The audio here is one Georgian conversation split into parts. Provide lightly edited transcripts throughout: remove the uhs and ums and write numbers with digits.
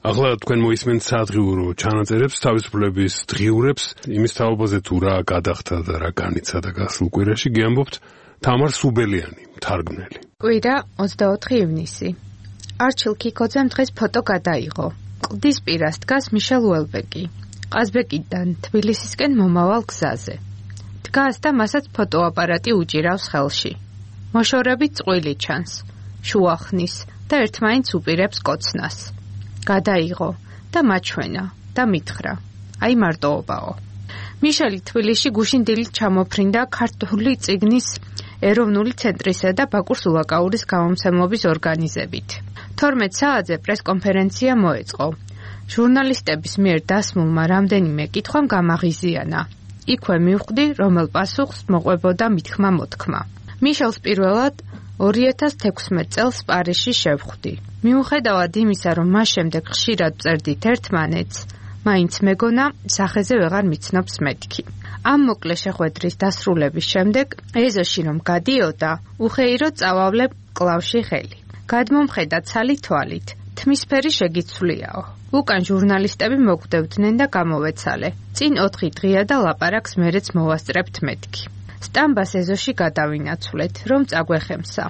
ახლა თქვენ მოისმენთ საადღიურო ჩანაწერებს, თავისუფლების დღიურებს, იმის თაობაზე თუ რა გადახდა და რა განიცა და გასულ კვირაში გიამბობთ თამარ სუბელიანი, მთარგმნელი. კვირა 24 ივნისი. არჩილ ქიქოძემ დღეს ფოტო გადაიღო. კლდის პირას დგას მიშელ უელბეკი. ყაზბეკიდან თბილისისკენ მომავალ გზაზე. დგას და მასაც ფოტოაპარატი უჭირავს ხელში. მოშორებით წყვილი ჩანს, შუახნის და ერთმანეთს უპირებს კოცნას. გადაიღო და მაჩვენა და მითხრა. აი მარტოობაო. მიშელი თბილისში გუშინ დილით ჩამოფრინდა ქართული წიგნის ეროვნული ცენტრისა და ბაკურ სულაკაურის გამომცემლობის ორგანიზებით. 12 საათზე პრესკონფერენცია მოეწყო. ჟურნალისტების მიერ დასმულმა რამდენიმე კითხვამ გამაღიზიანა. იქვე მივხვდი, რომელ პასუხს მოყვებოდა მითქმა-მოთქმა. მიშელს პირველად 2016 წელს პარიზში შევხვდი. მიუხედავად იმისა, რომ მას შემდეგ ხშირად ვწერდით ერთმანეთს, მაინც მეგონა სახეზე ვეღარ მიცნობს მეთქი. ამ მოკლე შეხვედრის დასრულების შემდეგ ეზოში რომ გადიოდა, უხეირო წავავლებ კლავში ხელი. გადმომხედა ცალი თვალით, თმისფერი შეგიცვლიაო. უკან ჟურნალისტები მოგვდევდნენ და გამოვეცალე. წინ 4 დღეა და ლაპარაკს მერეც მოვასწრებთ მეთქი. სტამბას ეზოში გადავინაცვლეთ, რომ წაგვეხემსა.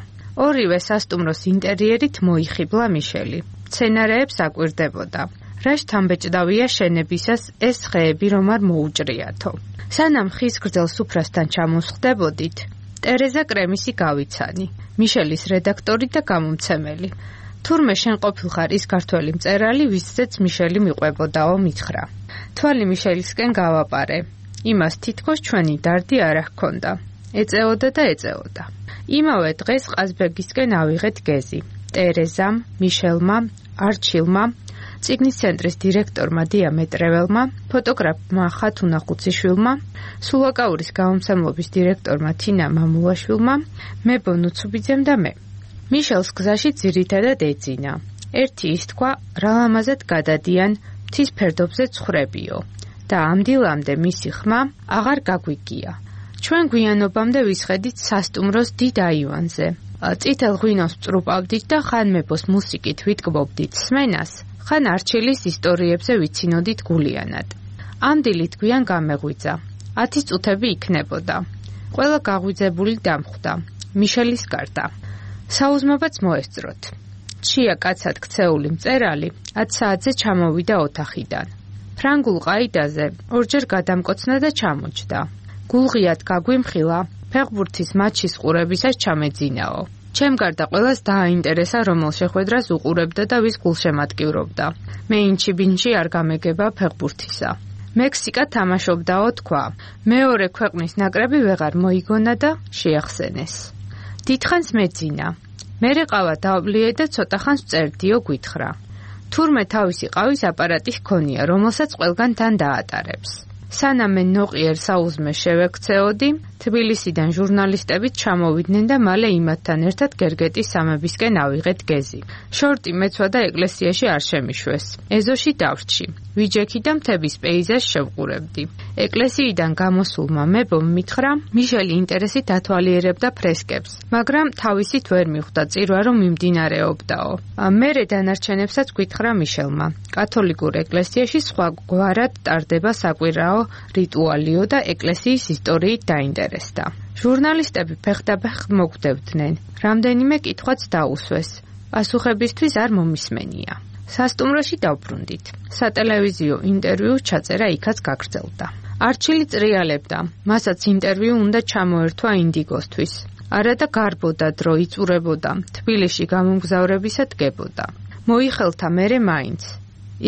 ორივე სასტუმროს ინტერიერით მოიხიბლა მიშელი. მცენარეებს აკვირდებოდა. რა შთამბეჭდავია შენებისას ეს ხეები რომ არ მოუჭრიათო. სანამ ხის გრძელ სუფრასთან ჩამოსხდებოდით, ტერეზა კრემისი გავიცანი, მიშელის რედაქტორი და გამომცემელი. თურმე შენ ყოფილხარ ის ქართველი მწერალი, ვისცეც მიშელი მიყვებოდაო, მითხრა. თვალი მიშელისკენ გავაპარე. იმას თითქოს ჩვენი დარდი არ ჰქონდა. ეწეოდა და ეწეოდა. იმავე დღეს ყაზბეგისკენ ავიღეთ გეზი. ტერეზამ, მიშელმა, არჩილმა, წიგნის ცენტრის დირექტორმა დიამეტრეველმა, ფოტოგრაფმა ხათუნა ხუციშვილმა, სულაკაურის გამომცემლობის დირექტორმა თინა მამულაშვილმა, მე ბონუცუბიძემ და მე. მიშელს გზაში ძირითადად ეძინა. ერთი ის თქვა, რა ლამაზად გადადიან, მთის ფერდობზე ცხრებიო. და ამ დილამდე მისი ხმა აღარ გაგვიგია. ჩვენ გვიანობამდე ვისხედით სასტუმროს დიდ აივანზე. წითელ ღვინოს ვწრუპავდით და ხან მეფოს მუსიკით ვიტკბობდით სმენას, ხან არჩილის ისტორიებზე ვიცინოდით გულიანად. ამ დილით გვიან გამეღვიძა. 10 წუთები იქნებოდა. ყველა გაღვიძებული დამხვდა. მიშელის გარდა. საუზმობაც მოესწროთ. ჩია კაცად ქცეული მწერალი 10 საათზე ჩამოვიდა ოთახიდან. ფრანგულ ყაიდაზე ორჯერ გადამკოცნა და ჩამოჯდა. გულღიად გაგვიმხილა, ფეხბურთის მატჩის ყურებისას ჩამეძინაო. ჩემ გარდა ყველას დააინტერესა, რომელ შეხვედრას უყურებდა და ვის გულშემატკივრობდა. მე ინჩი-ბინჩი არ გამეგება ფეხბურთისა. მექსიკა თამაშობდაო თქვა. მეორე ქვეყნის ნაკრები ვეღარ მოიგონა და შეახსენეს. დიდხანს მეძინა. მერე ყავა დავლიე და ცოტა ხანს წერდიო გვითხრა. თურმე თავისი ყავის აპარატი ჰქონია, რომელსაც ყველგან თან დაატარებს. სანამ მე ნოყიერ საუზმე შევექცეოდი, თბილისიდან ჟურნალისტებით ჩამოვიდნენ და მალე იმათთან ერთად გერგეტის სამებისკენ ავიღეთ გეზი. შორტი მეცვა და ეკლესიაში არ შემიშვეს. ეზოში დავრჩი. ვიჯექი და მთების პეიზაჟს შევყურებდი. ეკლესიიდან გამოსულმა მებომ მითხრა, მიშელი ინტერესით ათვალიერებდა ფრესკებს, მაგრამ თავისით ვერ მიხვდა წირვა რომ მიმდინარეობდაო. მერე დანარჩენებსაც გვითხრა მიშელმა. კათოლიკურ ეკლესიაში სხვაგვარად ტარდება საკვირაო რიტუალიო და ეკლესიის ისტორიით დაინტერესდა. ჟურნალისტები ფეხდაბეხ მოგვდევდნენ. რამდენიმე კითხვაც დაუსვეს. პასუხებისთვის არ მომისმენია. სასტუმროში დავბრუნდით. სატელევიზიო ინტერვიუ ჩაწერა იქაც გაგრძელდა. არჩილი წრიალებდა. მასაც ინტერვიუ უნდა ჩამოერთვა ინდიგოსთვის. არა და გარბოდა დრო, იწურებოდა. თბილისში გამომგზავრებისა დგებოდა. მოიხელთა მერე მაინც.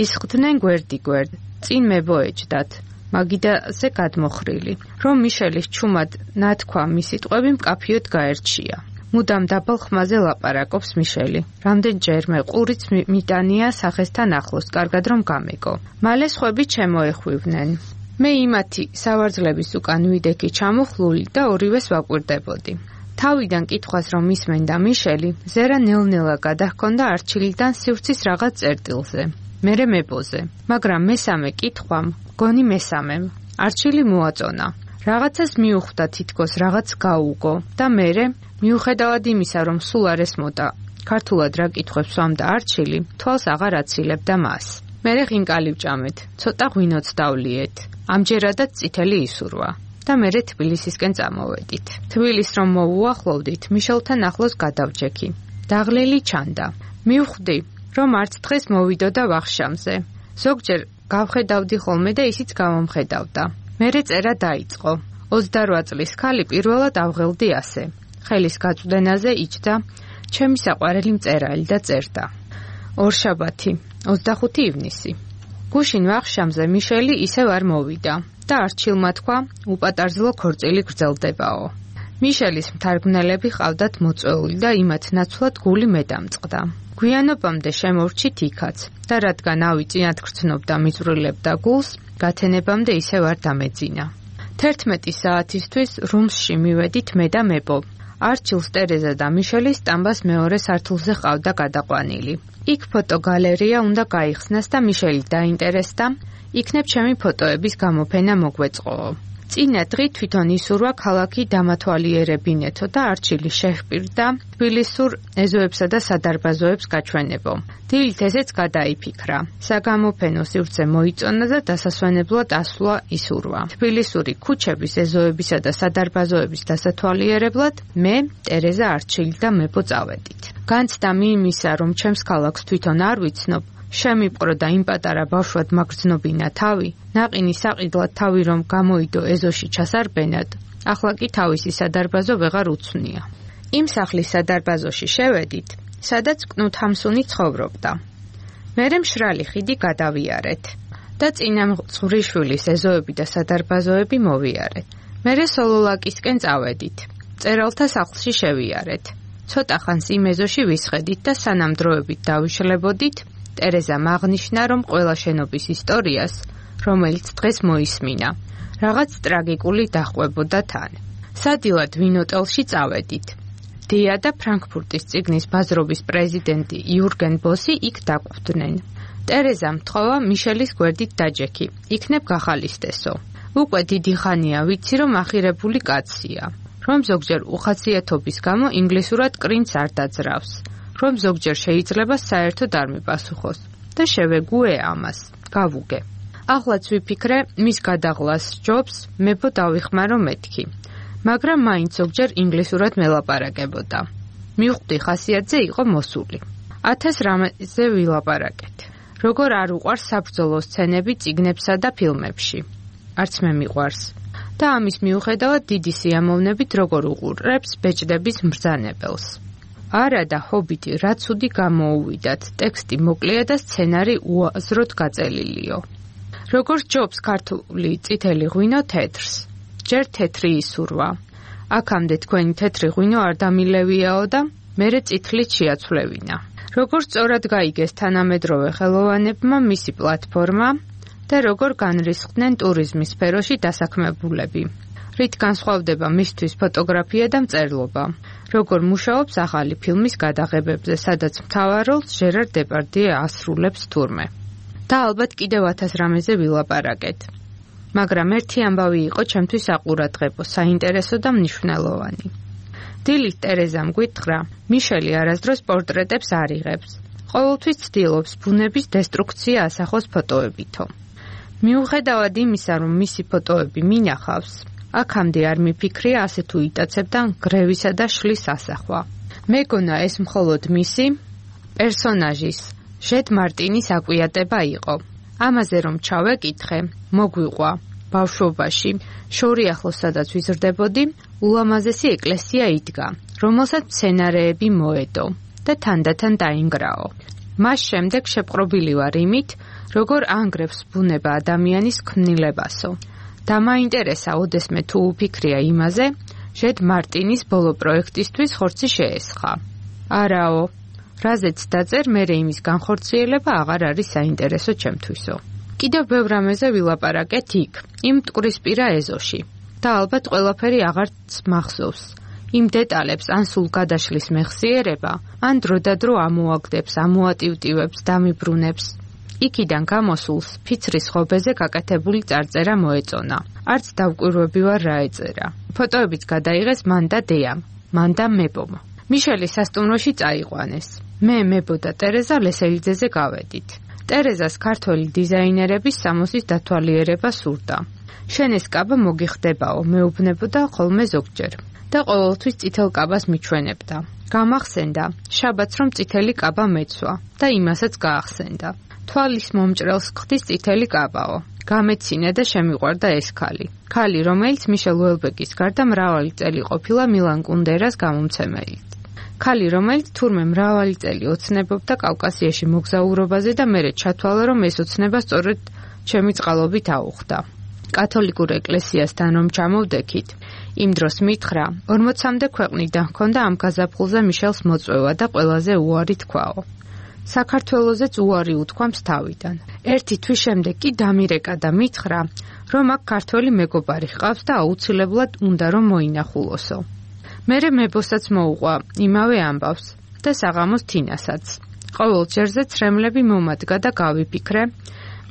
ისხდნენ გვერდ-გვერდ. წინ მებოეჭდათ. მაგიდაზე გადმოხრილი. რომ მიშელის ჩუმად ნათქვა მის სიტყვები მკაფიოდ გაერჩია. მუდამ დაბალ ხმაზე ლაპარაკობს მიშელი. რამდენჯერმე ყურიც მიტანია სახესთან ახლოს, კარგად რომ გამეგო. მალე სხვები შემოეხვივნენ. მე იმათი სავარძლების უკან ვიდექი ჩამოხლული და ორივეს ვაკვირდებოდი. თავიდან კითხვას რომ ისმენდა მიშელი, ზერა ნელ-ნელა გადაჰქონდა არჩილიდან სივრცის რაღაც წერტილზე. მერე მებოზე, მაგრამ მესამე კითხვამ, გონი მესამემ, არჩილი მოაწონა. რაღაცას მიუხვდა თითქოს რაღაც გაუგო და მერე, მიუხედავად იმისა, რომ სულ არ ესმოდა ქართულად რა კითხვებს სვამდა არჩილი, თვალს აღარ აცილებდა მას. მერე ღინკალი ვჭამეთ, ცოტა ღვინოც დავლიეთ. ამჯერადაც წითელი ისურვა და მერე თბილისისკენ წამოვედით. თბილის რომ მოუახლოვდით, მიშელთან ახლოს გადავჯექი. დაღლილი ჩანდა. მივხვდი, რომ არც დღეს მოვიდოდა ვახშამზე. ზოგჯერ გავხედავდი ხოლმე და ისიც გამომხედავდა. მერე წერა დაიწყო. 28 წლის ქალი პირველად ავღელდი ასე. ხელის გაწვდენაზე იჯდა ჩემი საყვარელი მწერალი და წერდა. ორშაბათი, 25 ივნისი. გუშინ ვახშამზე მიშელი ისევ არ მოვიდა და არჩილმა თქვა, უპატარძლო ქორწილი გრძელდებაო. მიშელის მთარგმნელები ყავდათ მოწვეული და იმათ ნაცვლად გული მე დამწყდა. გვიანობამდე შემორჩით იქაც და რადგან ავი წინათ გრძნობდა მიწვრილებდა გულს, გათენებამდე ისევ არ დამეძინა. 11 საათისთვის რუმსში მივედით მე და მებო. არჩილს ტერეზა და მიშელი სტამბას მეორე სართულზე ყავდა გადაყვანილი. იქ ფოტოგალერეა უნდა გაიხსნას და მიშელი დაინტერესდა, იქნებ ჩემი ფოტოების გამოფენა მოგვეწყოო. წინა დღით თვითონ ისურვა ქალაქი დამათვალიერებინეთო და არჩილი შეჰპირდა თბილისურ ეზოებსა და სადარბაზოებს გაჩვენებო. დილით ესეც გადაიფიქრა. საგამოფენო სივრცე მოიწონა და დასასვენებლად ასვლა ისურვა. თბილისური ქუჩების ეზოებისა და სადარბაზოების დასათვალიერებლად მე, ტერეზა არჩილი და მებო წავედით. განცდა იმისა, რომ ჩემს ქალაქს თვითონ არ ვიცნობ, შემიპყრო და იმ პატარა ბავშვად მაგრძნობინა თავი, ნაყინი საყიდლად თავი რომ გამოიდო ეზოში ჩასარბენად, ახლა კი თავისი სადარბაზო ვეღარ უცვნია. იმ სახლის სადარბაზოში შევედით, სადაც კნუთ ჰამსუნი ცხოვრობდა. მერე მშრალი ხიდი გადავიარეთ და წინა მწყვრიშვილის ეზოები და სადარბაზოები მოვიარეთ. მერე სოლოლაკისკენ წავედით. წერალთა სახლში შევიარეთ. ცოტა ხანს იმ ეზოში ვისხედით და სანამ დროებით დავიშლებოდით, ტერეზა აღნიშნა, რომ ყველა შენობის ისტორიას, რომელიც დღეს მოისმინა, რაღაც ტრაგიკული დახვებოდა თან. სადილად ვინოტელში წავედით. დია და ფრანკფურტის წიგნის ბაზრობის პრეზიდენტი იურგენ ბოსი იქ დაგვხვდნენ. ტერეზამ თხოვა მიშელის გვერდით დაჯექი, იქნებ გახალისდესო. უკვე დიდი ხანია ვიცი, რომ ახირებული კაცია, რომ ზოგჯერ უხასიათობის გამო ინგლისურად კრინც არ დაძრავს. რომ ზოგჯერ შეიძლება საერთოდ არ მიპასუხოს და შევეგუე ამას, გავუგე. ახლაც ვიფიქრე, მის გადაღლას ჯობს, მებო დავიხმარო მეთქი, მაგრამ მაინც ზოგჯერ ინგლისურად მელაპარაკებოდა. მივხვდი ხასიათზე იყო მოსული. 1000 რამეზე ვილაპარაკეთ. როგორ არ უყვარს საბრძოლო სცენები წიგნებსა და ფილმებში. არც მე მიყვარს. და ამის მიუხედავად დიდი სიამოვნებით როგორ უყურებს ბეჭდების მბრძანებელს. არა და ჰობიტი რა ცუდი გამოუვიდათ, ტექსტი მოკლეა და სცენარი უაზროდ გაწელილიო. როგორ ჯობს ქართული წითელი ღვინო თეთრს, ჯერ თეთრი ისურვა. აქამდე თქვენი თეთრი ღვინო არ დამილევიაო და მერე წითლით შეაცვლევინა. როგორ სწორად გაიგეს თანამედროვე ხელოვანებმა მისი პლატფორმა და როგორ განრისხდნენ ტურიზმის სფეროში დასაქმებულები. რით განსხვავდება მისთვის ფოტოგრაფია და მწერლობა. როგორ მუშაობს ახალი ფილმის გადაღებებზე, სადაც მთავარ როლს ჟერარ დეპარდიე ასრულებს თურმე. და ალბათ კიდევ 1000 რამეზე ვილაპარაკეთ. მაგრამ ერთი ამბავი იყო ჩემთვის საყურადღებო, საინტერესო და მნიშვნელოვანი. დილით ტერეზამ გვითხრა, მიშელი არასდროს პორტრეტებს არ იღებს. ყოველთვის ცდილობს ბუნების დესტრუქცია ასახოს ფოტოებითო. მიუხედავად იმისა, რომ მისი ფოტოები მინახავს, აქამდე არ მიფიქრია ასე თუ იტაცებდა გრევისა და შლის ასახვა. მეგონა ეს მხოლოდ მისი პერსონაჟის, ჟეთ მარტინის აკვიატება იყო. ამაზე რომ ჩავეკითხე, მოგვიყვა ბავშვობაში, შორი ახლოს სადაც ვიზრდებოდი, ულამაზესი ეკლესია იდგა, რომელსაც სცენარეები მოედო და თანდათან დაინგრაო. მას შემდეგ შეპყრობილი ვარ იმით, როგორ ანგრევს ბუნება ადამიანის ქმნილებასო. და მაინტერესა ოდესმე თუ უფიქრია იმაზე, ჟეთ მარტინის ბოლო პროექტისთვის ხორცი შეესხა. არაო, რაზეც დაწერ, მერე იმის განხორციელება აღარ არის საინტერესო ჩემთვისო. კიდევ ბევრ რამეზე ვილაპარაკეთ იქ, იმ მტკვრისპირა ეზოში. და ალბათ ყველაფერი აღარც მახსოვს. იმ დეტალებს ან სულ გადაშლის მეხსიერება, ან დროდადრო ამოაგდებს, ამოატივტივებს, დამიბრუნებს. იქიდან გამოსულს ფიცრის ხობეზე გაკეთებული წარწერა მოეწონა. არც დავკვირვები ვარ რა ეწერა. ფოტოებიც გადაიღეს მან და დეამ, მან და მებომ. მიშელი სასტუმროში წაიყვანეს. მე მებო და ტერეზა ლესელიძეზე გავედით. ტერეზას ქართველი დიზაინერების სამოსის დათვალიერება სურდა. შენეს კაბა მოგიხდებაო, მეუბნებოდა ხოლმე ზოგჯერ და ყოველთვის წითელ კაბას მიჩვენებდა. გამახსენდა, შაბათს რომ წითელი კაბა მეცვა და იმასაც გაახსენდა. თვალის მომჭრელს ხდის წითელი კაბაო. გამეცინე და შემიყვარდა ეს ქალი. ქალი, რომელიც მიშელ უელბეკის გარდა მრავალი წელი ყოფილა მილან კუნდერას გამომცემელი. ქალი, რომელიც თურმე მრავალი წელი ოცნებობდა კავკასიაში მოგზაურობაზე და მერე ჩათვალა, რომ ეს ოცნება სწორედ ჩემი წყალობით აუხდა. კათოლიკურ ეკლესიასთან რომ ჩამოვდექით, იმ დროს მითხრა, 40-მდე ქვეყნიდან ჰქონდა ამ გაზაფხულზე მიშელს მოწვევა და ყველაზე უარი თქვაო. საქართველოზეც უარი უთქვამს თავიდან. ერთი თვის შემდეგ კი დამირეკა და მითხრა, რომ აქ ქართველი მეგობარი ჰყავს და აუცილებლად უნდა რომ მოინახულოსო. მერე მებოსაც მოუყვა იმავე ამბავს და საღამოს თინასაც. ყოველ ჯერზე ცრემლები მომადგა და გავიფიქრე,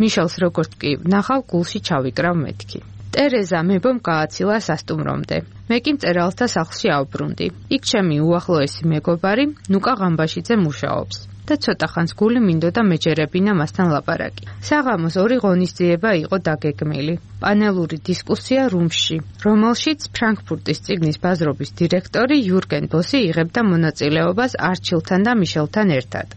მიშელს როგორც კი ვნახავ, გულში ჩავიკრავ მეთქი. ტერეზა მებომ გააცილა სასტუმრომდე. მე კი მწერალთა სახლში ავბრუნდი. იქ ჩემი უახლოესი მეგობარი ნუკა ღამბაშიძე მუშაობს და ცოტა ხანს გული მინდოდა მეჯერებინა მასთან ლაპარაკი. საღამოს 2 ღონისძიება იყო დაგეგმილი. პანელური დისკუსია რუმში, რომელშიც ფრანკფურტის წიგნის ბაზრობის დირექტორი იურგენ ბოსი იღებდა მონაწილეობას არჩილთან და მიშელთან ერთად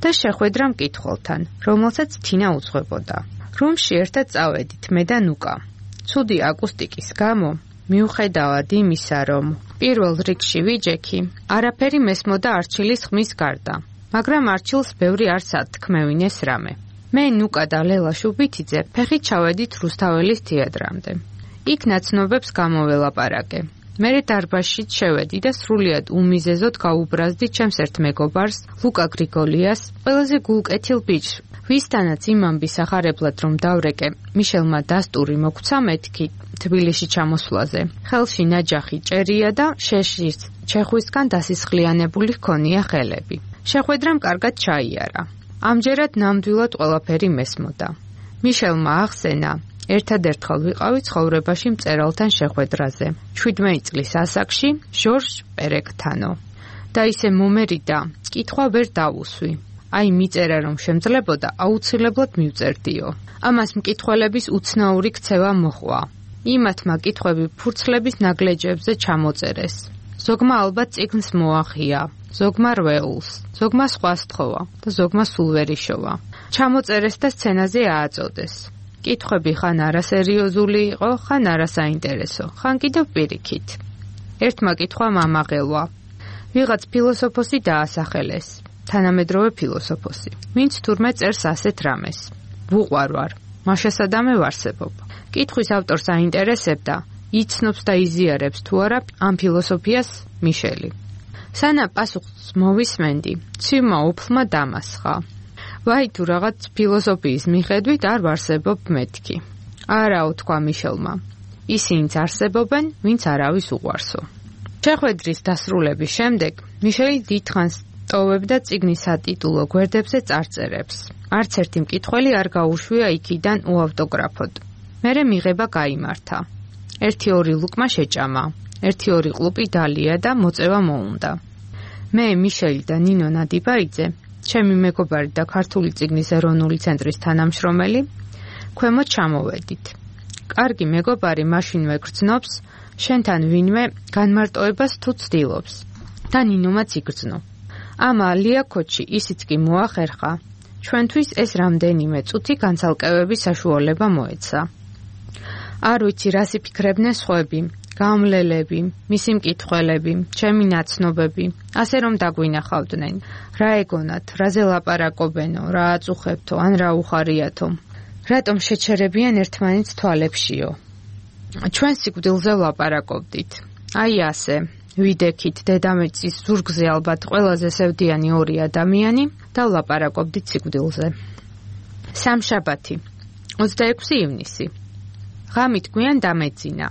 და შეხვედრა მკითხველთან, რომელსაც თინა უძღვებოდა. რუმში ერთად წავედით მე და ნუკა. ცუდი აკუსტიკის გამო, მიუხედავად იმისა, რომ პირველ რიგში ვიჯექი, არაფერი მესმოდა არჩილის ხმის გარდა, მაგრამ არჩილს ბევრი არ სათქმევინეს რამე. მე ნუკა და ლელა შუბითიძე ფეხით ჩავედით რუსთაველის თეატრამდე. იქ ნაცნობებს გამოველაპარაკე. მერე დარბაზში შევედი და სრულიად უმიზეზოდ გაუბრაზდი ჩემს ერთ მეგობარს, ლუკა გრიგოლიას, ყველაზე გულკეთილ ბიჭს, ვისთანაც იმ ამბის ახარებლად რომ დავრეკე, მიშელმა დასტური მოგცა მეთქი თბილისში ჩამოსვლაზე. ხელში ნაჯახი ჭერია და შეშის ჩეხვისგან დასისხლიანებული ჰქონია ხელები. შეხვედრამ კარგად ჩაიარა. ამჯერად ნამდვილად ყველაფერი მესმოდა. მიშელმა ახსენა, ერთადერთხელ ვიყავი ცხოვრებაში მწერალთან შეხვედრაზე. 17 წლის ასაკში ჟორჟ პერეკთანო. და ისე მომერიდა, კითხვა ვერ დავუსვი. აი მიწერა რომ შემძლებოდა, აუცილებლად მივწერდიო. ამას მკითხველების უცნაური ქცევა მოჰყვა. იმათმა კითხვები ფურცლების ნაგლეჯებზე ჩამოწერეს. ზოგმა ალბათ წიგნს მოახია, ზოგმა რვეულს, ზოგმა სხვა სთხოვა და ზოგმა სულ ვერ იშოვა. ჩამოწერეს და სცენაზე ააწოდეს. კითხვები ხან არასერიოზული იყო, ხან არასაინტერესო, ხან კიდევ პირიქით. ერთმა კითხვამ ამაღელვა. ვიღაც ფილოსოფოსი დაასახელეს, თანამედროვე ფილოსოფოსი, ვინც თურმე წერს ასეთ რამეს. ვუყვარ ვარ, მაშასადამე ვარსებობ. კითხვის ავტორს აინტერესებდა, იცნობს და იზიარებს თუ არა ამ ფილოსოფიას მიშელი. სანა პასუხს მოვისმენდი, ცივმა უფლმა დამასხა. ვაი თუ რაღაც ფილოსოფიის მიხედვით არ ვარსებობ მეთქი. არაო თქვა მიშელმა. ისინიც არსებობენ, ვინც არავის უყვარსო. შეხვედრის დასრულების შემდეგ მიშელი დიდხანს ტოვებდა წიგნის სატიტულო გვერდებზე წარწერებს. არც ერთი მკითხველი არ გაუშვია იქიდან უავტოგრაფოდ. მერე მიღება გაიმართა. 1-2 ლუკმა შეჭამა, 1-2 ყლუპი დალია და მოწევა მოუნდა. მე, მიშელი და ნინო ნადიბაიძე, ჩემი მეგობარი და ქართული წიგნის ეროვნული ცენტრის თანამშრომელი, ქვემოთ ჩამოვედით. კარგი მეგობარი მაშინვე გრძნობს, შენთან ვინმე განმარტოებას თუ ცდილობს და ნინომაც იგრძნო. ამ ალიაკოჩი ისიც კი მოახერხა, ჩვენთვის ეს რამდენიმე წუთი განცალკევების საშუალება მოეცა. არ ვიცი რას იფიქრებდნენ სხვები, გამლელები, მისი მკითხველები, ჩემი ნაცნობები, ასე რომ დაგვინახავდნენ. რა ეგონათ, რაზე ლაპარაკობენო, რა აწუხებთო, ან რა უხარიათო. რატომ შეჩერებიან ერთმანეთს თვალებშიო. ჩვენ სიკვდილზე ვლაპარაკობდით. აი ასე, ვიდექით დედამიწის ზურგზე ალბათ ყველაზე სევდიანი 2 ადამიანი და ვლაპარაკობდით სიკვდილზე. სამშაბათი, 26 ივნისი. ღამით გვიან დამეძინა.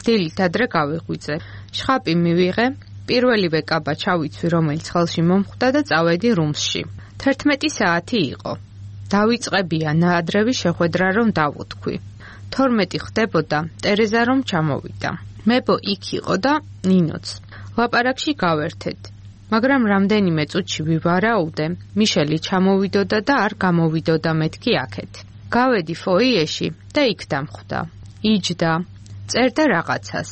დილით ადრე გავიღვიძე. შხაპი მივიღე, პირველივე კაბა ჩავიცვი, რომელიც ხელში მომხვდა და წავედი რუმსში. 11 საათი იყო. დავიწყებია ნაადრევი შეხვედრა რომ დავუთქვი. 12 ხდებოდა, ტერეზა რომ ჩამოვიდა. მებო იქ იყო და ნინოც. ლაპარაკში გავერთეთ. მაგრამ რამდენიმე წუთში ვივარაუდე, მიშელი ჩამოვიდოდა და არ გამოვიდოდა მეთქი აქეთ. გავედი ფოიეში და იქ დამხვდა. იჯდა, წერდა რაღაცას.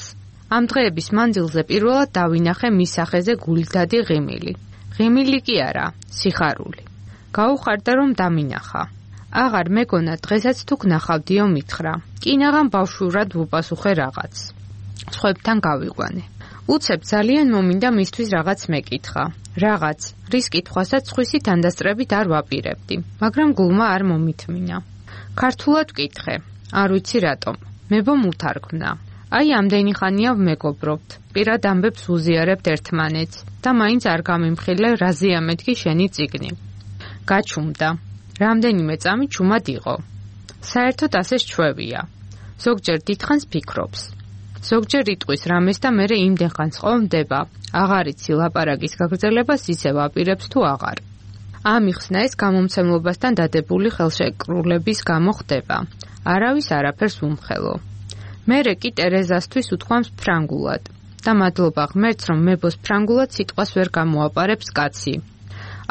ამ დღეების მანძილზე პირველად დავინახე მის სახეზე გულდადი ღიმილი. ღიმილი კი არა, სიხარული. გაუხარდა რომ დამინახა. აღარ მეგონა დღესაც თუ გნახავდიო მითხრა. კინაღამ ბავშვურად ვუპასუხე რაღაც. სხვებთან გავიყვანე. უცებ ძალიან მომინდა მისთვის რაღაც მეკითხა. რაღაც, რის კითხვასაც სხვისი თანდასწრებით არ ვაპირებდი, მაგრამ გულმა არ მომითმინა. ქართულად ვკითხე, არ ვიცი რატომ. მებომ უთარგმნა. აი ამდენი ხანია ვმეგობრობთ, პირად ამბებს ვუზიარებთ ერთმანეთს და მაინც არ გამიმხილე რაზეა მეთქი შენი წიგნი. გაჩუმდა. რამდენიმე წამი ჩუმად იყო. საერთოდ ასე ჩვევია. ზოგჯერ დიდხანს ფიქრობს. ზოგჯერ იტყვის რამეს და მერე იმდენ ხანს ყოფდება, აღარ იცი ლაპარაკის გაგრძელებას ისევ აპირებს თუ აღარ. ამიხსნა ეს გამომცემლობასთან დადებული ხელშეკრულების გამო ხდება. არავის არაფერს უმხელო. მერე კი ტერეზასთვის უთქვამს ფრანგულად და მადლობა ღმერთს რომ მებოს ფრანგულად სიტყვას ვერ გამოაპარებს კაცი.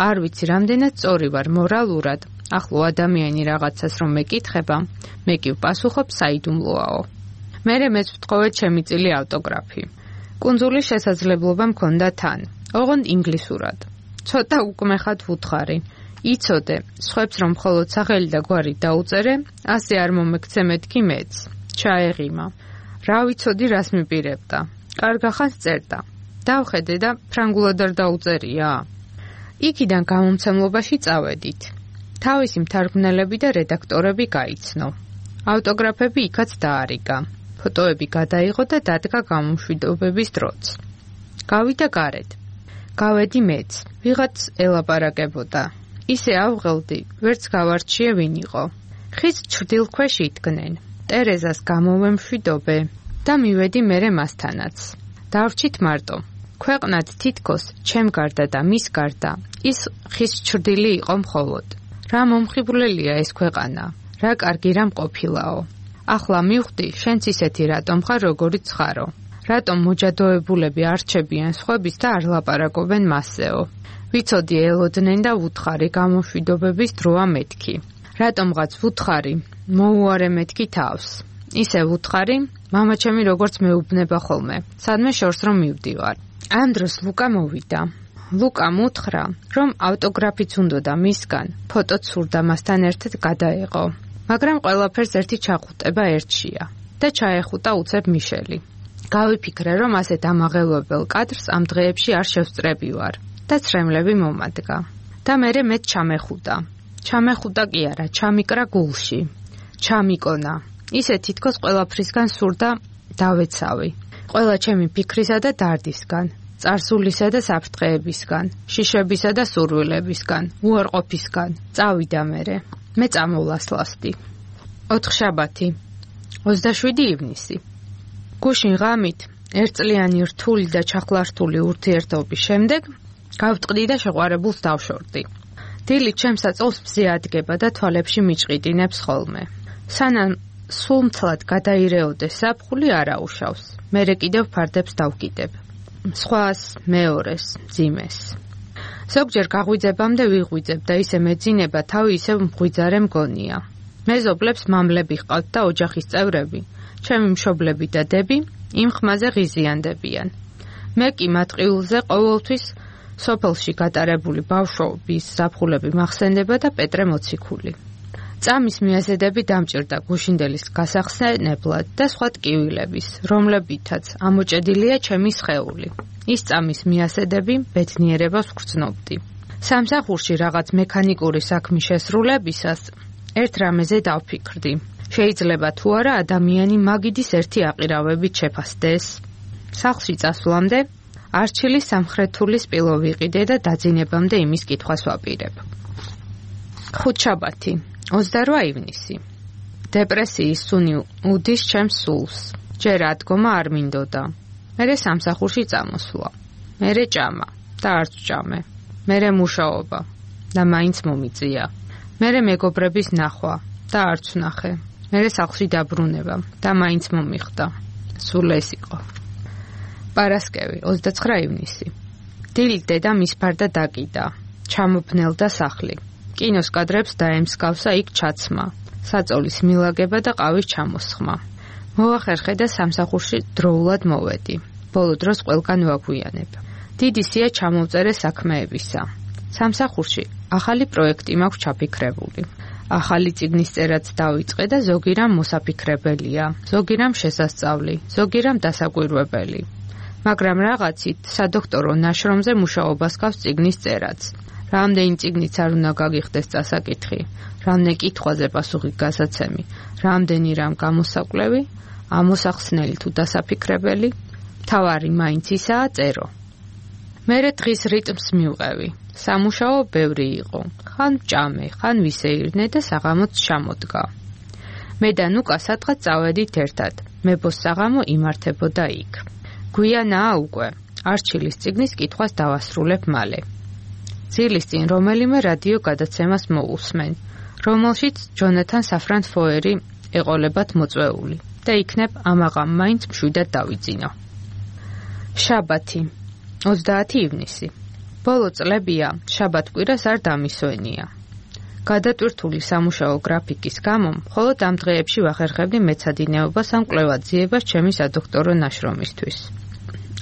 არ ვიცი რამდენად სწორი ვარ მორალურად, ახლო ადამიანი რაღაცას რომ მეკითხება, მე კი ვპასუხობ საიდუმლოაო. მერე მეც ვთხოვე ჩემი წილი ავტოგრაფი. კუნძულის შესაძლებლობა მქონდა თან, ოღონდ ინგლისურად. ცოტა უკმეხად ვუთხარი. იცოდე, სხვებს რომ მხოლოდ სახელი და გვარი დაუწერე, ასე არ მომექცე მეთქი მეც. ჩაეღიმა. რა ვიცოდი რას მიპირებდა. კარგახანს წერდა. დავხედე და ფრანგულად არ დაუწერია. იქიდან გამომცემლობაში წავედით. თავისი მთარგმნელები და რედაქტორები გაიცნო. ავტოგრაფები იქაც დაარიგა. ფოტოები გადაიღო და დადგა გამომშვიდობების დროც. გავიდა გარეთ. გავედი მეც. ვიღაც ელაპარაკებოდა. ისე ავღელდი, ვერც გავარჩიე ვინ იყო. ხის ჩრდილქვეშ იდგნენ. ტერეზას გამოვემშვიდობე და მივედი მერე მასთანაც. დავრჩით მარტო. ქვეყნად თითქოს ჩემ გარდა და მის გარდა ის ხის ჩრდილი იყო მხოლოდ. რა მომხიბვლელია ეს ქვეყანა, რა კარგი რამ ყოფილაო. ახლა მივხვდი, შენც ისეთი რატომ ხარ, როგორიც ხარო. რატომ მოჯადოებულები არჩებიან სხვების და არ ლაპარაკობენ მასეო. ვიცოდი ელოდნენ და ვუთხარი გამომშვიდობების დროა მეთქი. რატომღაც ვუთხარი, მოუარე მეთქი თავს. ისე ვუთხარი, მამაჩემი როგორც მეუბნება ხოლმე, სადმე შორს რომ მივდივარ. ამ დროს ლუკა მოვიდა. ლუკამ უთხრა, რომ ავტოგრაფიც უნდოდა მისგან, ფოტოც სურდა მასთან ერთად გადაეღო. მაგრამ ყველაფერს ერთი ჩახუტება ერთშია და ჩაეხუტა უცებ მიშელი. გავიფიქრე, რომ ასე დამაღელვებელ კადრს ამ დღეებში არ შევსწრები ვარ და ცრემლები მომადგა. და მერე მეც ჩამეხუტა. ჩამეხუტა კი არა, ჩამიკრა გულში. ჩამიკონა. ისე თითქოს ყველაფრისგან სურდა დავეცავი. ყველა ჩემი ფიქრისა და დარდისგან, წარსულისა და საფრთხეებისგან, შიშებისა და სურვილებისგან, უარყოფისგან. წავიდა მერე. მე წამოვლასლავდი. 4 შაბათი, 27 ივნისი. გუშინ ღამით, ერთწლიანი რთული და ჩახლართული ურთიერთობის შემდეგ, გავტყდი და შეყვარებულს დავშორდი. დილი ჩემს აწოლს მზე ადგება და თვალებში მიჭყიდინებს ხოლმე. სანამ სულმცლად გადაირეოდეს საფხული არაუშავს. მერე კიდევ ფარდებს დავკიდებ. სხვას, მეორეს, ძიმეს. ზოგჯერ გაღვიძებამდე ვიღვიძებ და ისე მეძინება თავი ისევ მღვიძარე მგონია. მეზობლებს მამლები ჰყავთ და ოჯახის წევრები. ჩემი მშობლები და დები იმ ხმაზე ღიზიანდებიან. მე კი მატყიულზე ყოველთვის სოფელში გატარებული ბავშვობის ზაფხულები მახსენდება და პეტრე მოციქული. წამის მიაზედები დამჭირდა გუშინდელის გასახსენებლად და სხვა ტკივილების, რომლებითაც ამოჭედილია ჩემი სხეული. ის წამის მიაზედები ბედნიერებას ვგრძნობდი. სამსახურში რაღაც მექანიკური საქმის შესრულებისას ერთ რამეზე დავფიქრდი. შეიძლება თუ არა ადამიანი მაგიდის ერთი აყირავებით შეფასდეს. სახლში წასვლამდე არჩილის სამხრეთული სპილო ვიყიდე და დაძინებამდე იმის კითხვას ვაპირებ. 5 შაბათი, 28 ივნისი. დეპრესიის სუნი უდის ჩემს სულს. ჯერ ადგომა არ მინდოდა. მერე სამსახურში წამოსვლა. მერე ჭამა და არც ჭამე. მერე მუშაობა და მაინც მომიწია. მერე მეგობრების ნახვა და არც ვნახე. მერე სახლში დაბრუნება და მაინც მომიხდა. სულ ეს იყო. პარასკევი, 29 ივნისი. დილით დედამ ისფარდა დაკიდა. ჩამოფნელდა სახლი. კინოს კადრებს დაემსგავსა იქ ჩაცმა, საწოლის მილაგება და ყავის ჩამოსხმა. მოვახერხე და სამსახურში დროულად მოვედი. ბოლო დროს ყველგან ვაგვიანებ. დიდი სია ჩამოვწერე საქმეებისა. სამსახურში ახალი პროექტი მაქვს ჩაფიქრებული. ახალი წიგნის წერაც დავიწყე და ზოგი რამ მოსაფიქრებელია, ზოგი რამ შესასწავლი, ზოგი რამ დასაკვირვებელი. მაგრამ რაღაცით სადოქტორო ნაშრომზე მუშაობას გავს წიგნის წერაც. რამდენი წიგნიც არ უნდა გაგიხდეს წასაკითხი, რამდენი კითხვაზე პასუხი გასაცემი, რამდენი რამ გამოსაკვლევი, ამოსახსნელი თუ დასაფიქრებელი, თავარი მაინც ისაა წერო. მერე დღის რიტმს მივყევი. სამუშაო ბევრი იყო. ხან ვჭამე, ხან ვისეირნე და საღამოც ჩამოდგა. მე და ნუკა სადღაც წავედით ერთად. მებოს საღამო იმართებოდა იქ. გვიანაა უკვე. არჩილის წიგნის კითხვას დავასრულებ მალე. ძილის წინ რომელიმე რადიო გადაცემას მოусმენ, რომელშიც ჯონათან საფრანგ ფოერი ეყოლებათ მოწვეული და იქნებ ამაღამ მაინც მშვიდად დავიძინო. შაბათი 30 ივნისი. ბოლო წლებია შაბათ-კვირას არ დამისვენია. გადატვირთული სამუშაო გრაფიკის გამო მხოლოდ ამ დღეებში ვახერხებდი მეცადინეობას ან კვლევაძიებას ჩემი სადოქტორო ნაშრომისთვის.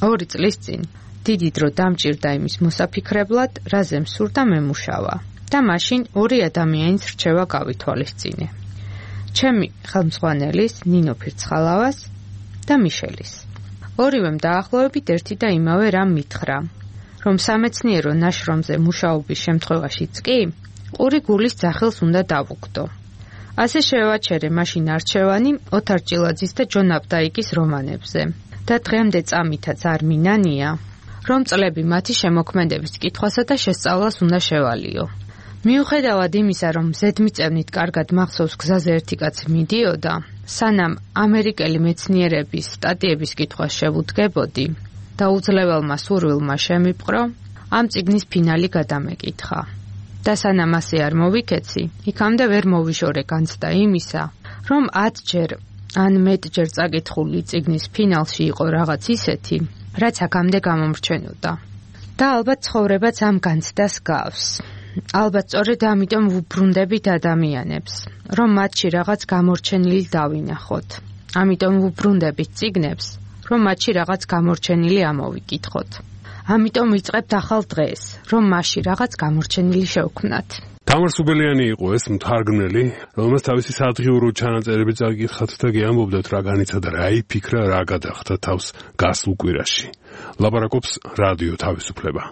2 წლის წინ დიდი დრო დამჭირდა იმის მოსაფიქრებლად, რაზე მსურდა მემუშავა და მაშინ 2 ადამიანის რჩევა გავითვალისწინე. ჩემი ხელმძღვანელის, ნინო ფირცხალავას და მიშელის. ორივემ დაახლოებით ერთი და იმავე რამ მითხრა, რომ სამეცნიერო ნაშრომზე მუშაობის შემთხვევაშიც კი ყური გულის ძახილს უნდა დავუკვდო. ასე შევაჩერე მაშინ არჩევანი ოთარ ჭილაძის და ჯონ აპტაიკის რომანებზე და დღემდე წამითაც არ მინანია, რომ წლები მათი შემოქმედების კითხვასა და შესწავლას უნდა შევალიო. მიუხედავად იმისა, რომ ზედმიწევნით კარგად მახსოვს გზაზე ერთი კაცი მიდიოდა, სანამ ამერიკელი მეცნიერების სტატიების კითხვას შევუდგებოდი და უძლებელმა სურვილმა შემიპყრო, ამ წიგნის ფინალი გადამეკითხა. და სანამ ასე არ მოვიქეცი, იქამდე ვერ მოვიშორე განცდა იმისა, რომ 10ჯერ ან მეტჯერ წაკითხული წიგნის ფინალში იყო რაღაც ისეთი, რაც აქამდე გამომრჩენოდა. და ალბათ ცხოვრებაც ამ განცდას გავს. ალბათ სწორედ ამიტომ ვუბრუნდებით ადამიანებს, რომ მათში რაღაც გამორჩენილი დავინახოთ. ამიტომ ვუბრუნდებით წიგნებს, რომ მათში რაღაც გამორჩენილი ამოვიკითხოთ. ამიტომ ვიწყებთ ახალ დღეს, რომ მასში რაღაც გამორჩენილი შევქმნათ. თამარ სუბელიანი იყო ეს მთარგმნელი, რომელსაც თავისი სადღიურო ჩანაწერები წაკითხათ და გიამბობდათ რა განიცადა, რა იფიქრა, რა გადახდა თავს გასულ კვირაში. ლაპარაკობს რადიო თავისუფლება.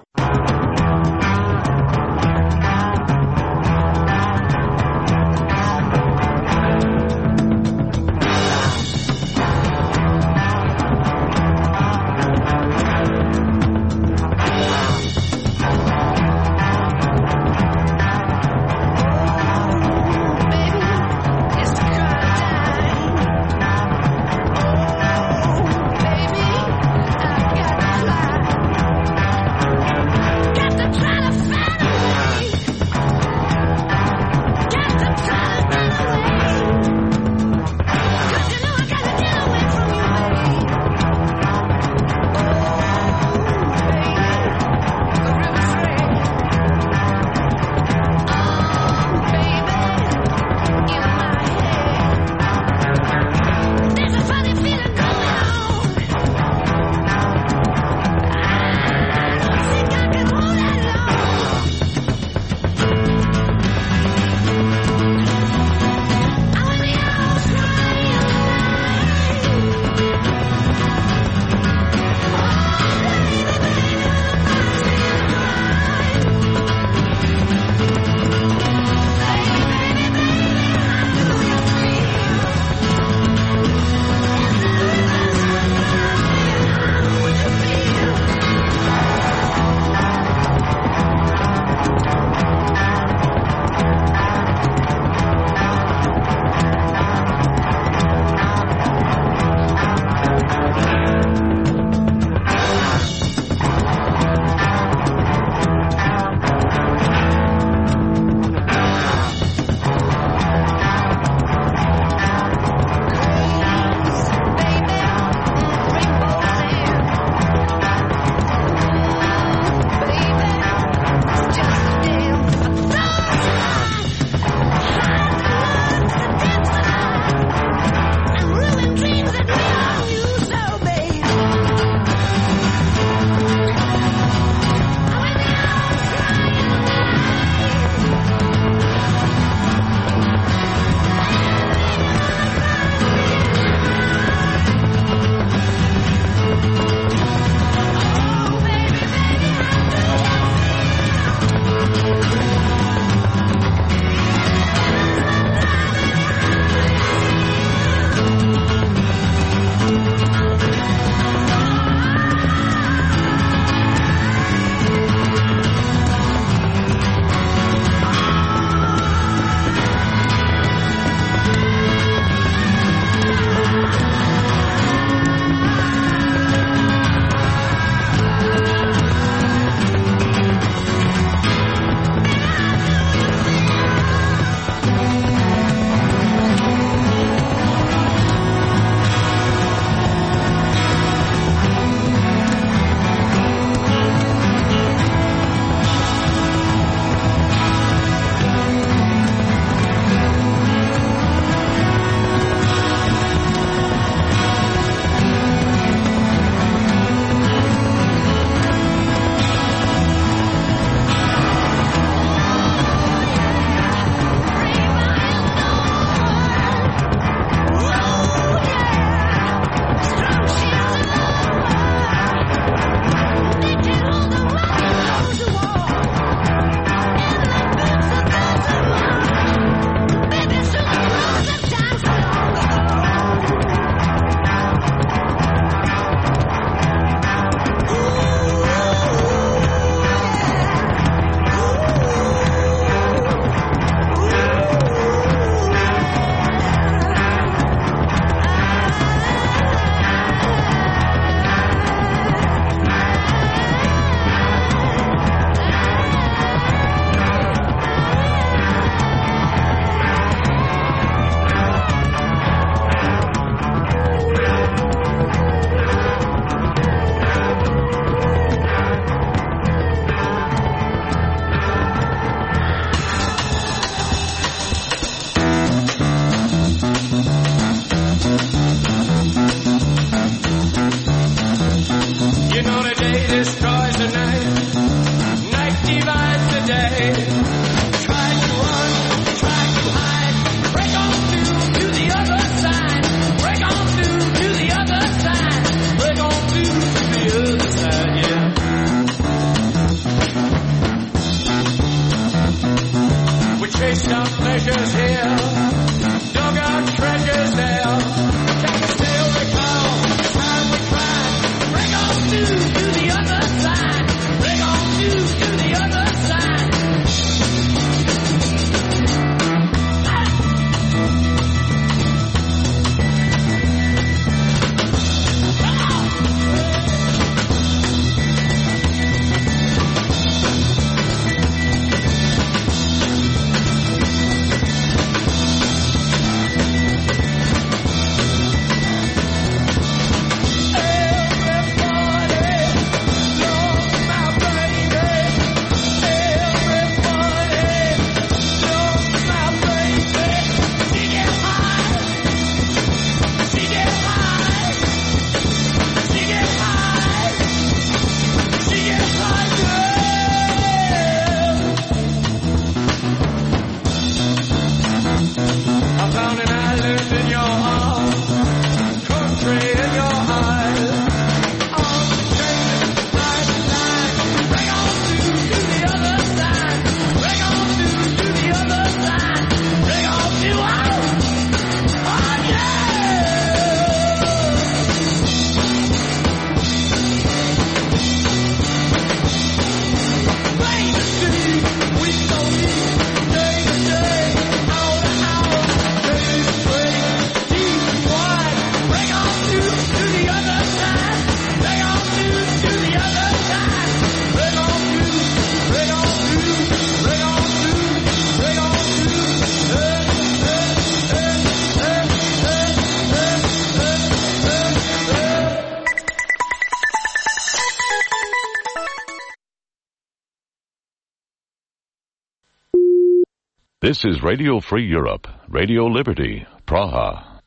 This is Radio Free Europe, Radio Liberty, Praha.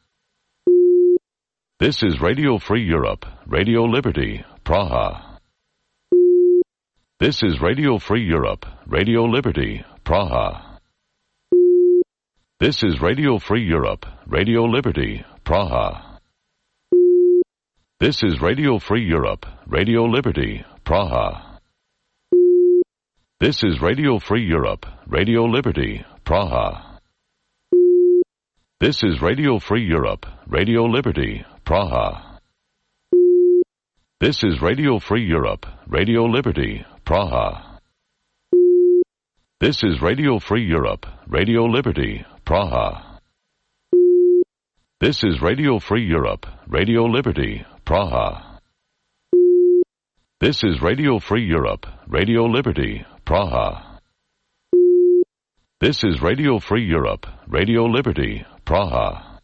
This is Radio Free Europe, Radio Liberty, Praha. This is Radio Free Europe, Radio Liberty, Praha. This is Radio Free Europe, Radio Liberty, Praha. This is Radio Free Europe, Radio Liberty, Praha. This is Radio Free Europe, Radio Liberty, Praha. This is Radio Free Europe, Radio Liberty, Praha. This is Radio Free Europe, Radio Liberty, Praha. This is Radio Free Europe, Radio Liberty, Praha. This is Radio Free Europe, Radio Liberty, Praha. This is Radio Free Europe, Radio Liberty, Praha. This is Radio Free Europe, Radio Liberty, Praha.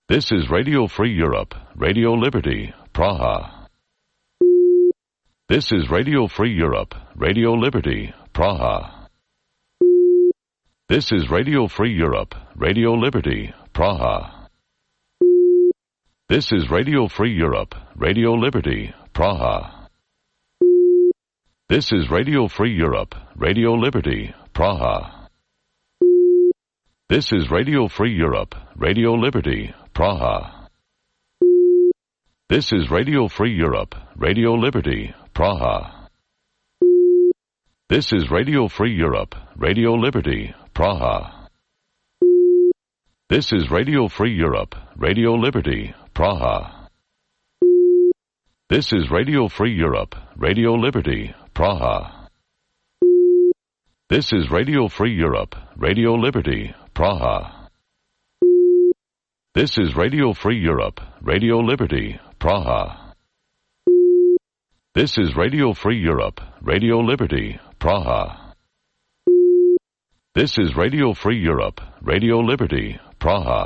This is Radio Free Europe, Radio Liberty, Praha. This is Radio Free Europe, Radio Liberty, Praha. This is Radio Free Europe, Radio Liberty, Praha. This is Radio Free Europe, Radio Liberty, Praha. This is Radio Free Europe, Radio Liberty, Praha. This is Radio Free Europe, Radio Liberty, Praha. This is Radio Free Europe, Radio Liberty, Praha. This is Radio Free Europe, Radio Liberty, Praha. This is Radio Free Europe, Radio Liberty, Praha. This is Radio Free Europe, Radio Liberty, Praha. This is Radio Free Europe, Radio Liberty, Praha. This is Radio Free Europe, Radio Liberty, Praha. This is Radio Free Europe, Radio Liberty, Praha. This is Radio Free Europe, Radio Liberty, Praha.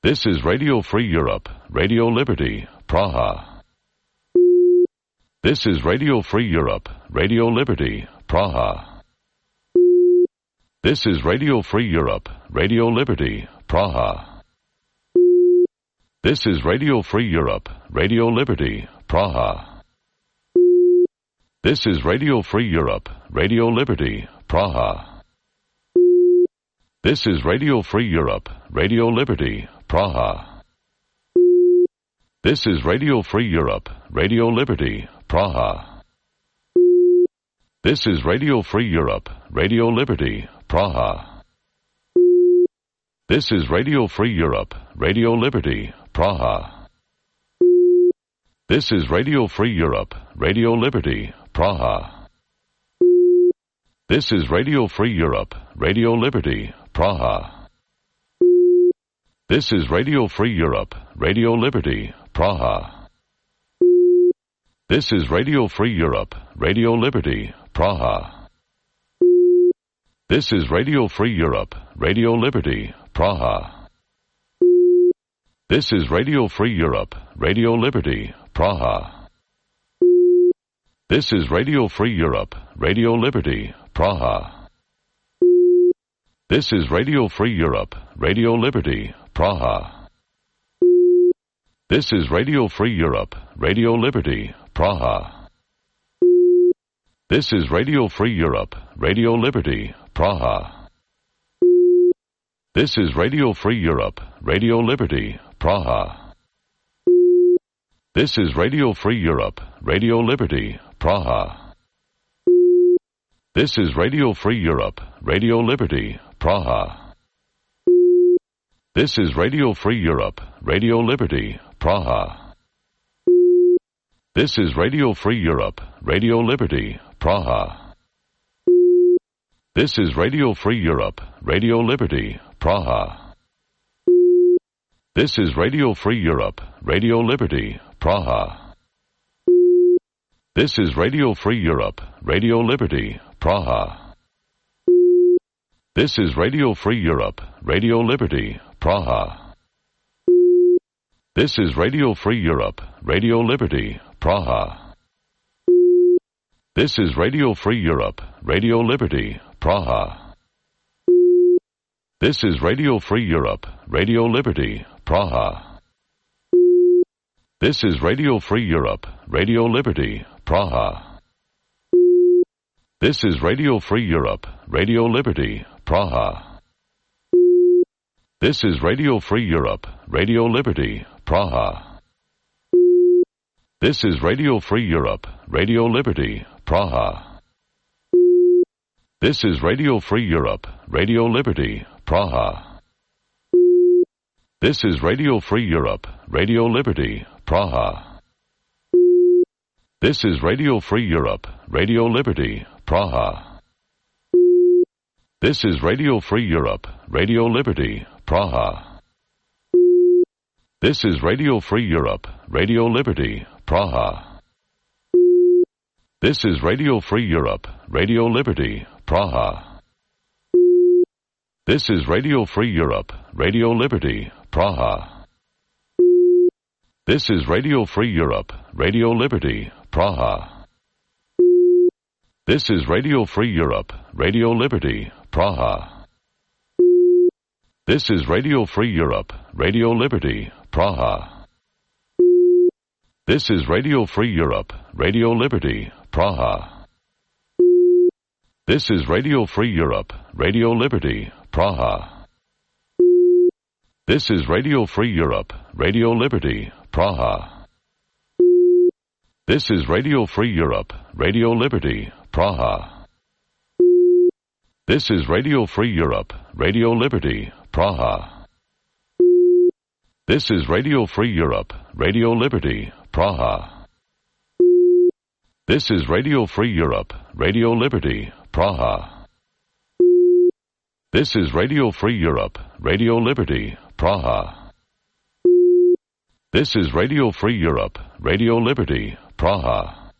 This is Radio Free Europe, Radio Liberty, Praha. This is Radio Free Europe, Radio Liberty, Praha. This is Radio Free Europe, Radio Liberty, Praha. This is Radio Free Europe, Radio Liberty, Praha. This is Radio Free Europe, Radio Liberty, Praha. This is Radio Free Europe, Radio Liberty, Praha. This is Radio Free Europe, Radio Liberty, Praha. This is Radio Free Europe, Radio Liberty, Praha. This is Radio Free Europe, Radio Liberty, Praha. This is Radio Free Europe, Radio Liberty, Praha. This is Radio Free Europe, Radio Liberty, Praha. This is Radio Free Europe, Radio Liberty, Praha. This is Radio Free Europe, Radio Liberty, Praha. This is Radio Free Europe, Radio Liberty, Praha. This is Radio Free Europe, Radio Liberty, Praha. This is Radio Free Europe, Radio Liberty, Praha. This is Radio Free Europe, Radio Liberty, Praha. This is Radio Free Europe, Radio Liberty, Praha. This is Radio Free Europe, Radio Liberty, Praha. This is Radio Free Europe, Radio Liberty, Praha. This is Radio Free Europe, Radio Liberty, Praha. This is Radio Free Europe, Radio Liberty, Praha. This is Radio Free Europe, Radio Liberty, Praha. This is Radio Free Europe, Radio Liberty, Praha. This is Radio Free Europe, Radio Liberty, Praha. This is Radio Free Europe, Radio Liberty, Praha. This is Radio Free Europe, Radio Liberty, Praha. This is Radio Free Europe, Radio Liberty, Praha. This is Radio Free Europe, Radio Liberty, Praha. This is Radio Free Europe, Radio Liberty, Praha. This is Radio Free Europe, Radio Liberty, Praha. This is Radio Free Europe, Radio Liberty, Praha. This is Radio Free Europe, Radio Liberty, Praha. This is Radio Free Europe, Radio Liberty, Praha. This is Radio Free Europe, Radio Liberty, Praha. This is Radio Free Europe, Radio Liberty, Praha. This is Radio Free Europe, Radio Liberty, Praha. This is Radio Free Europe, Radio Liberty, Praha. This is Radio Free Europe, Radio Liberty, Praha. This is Radio Free Europe, Radio Liberty, Praha. This is Radio Free Europe, Radio Liberty, Praha. This is Radio Free Europe, Radio Liberty, Praha. This is Radio Free Europe, Radio Liberty, Praha. This is Radio Free Europe, Radio Liberty, Praha. This is Radio Free Europe, Radio Liberty, Praha. This is Radio Free Europe, Radio Liberty, Praha. This is Radio Free Europe, Radio Liberty, Praha. This is Radio Free Europe, Radio Liberty, Praha. This is Radio Free Europe, Radio Liberty, Praha. This is Radio Free Europe, Radio Liberty, Praha. This is Radio Free Europe, Radio Liberty, Praha. This is Radio Free Europe, Radio Liberty, Praha. This is Radio Free Europe, Radio Liberty, Praha. This is Radio Free Europe, Radio Liberty, Praha.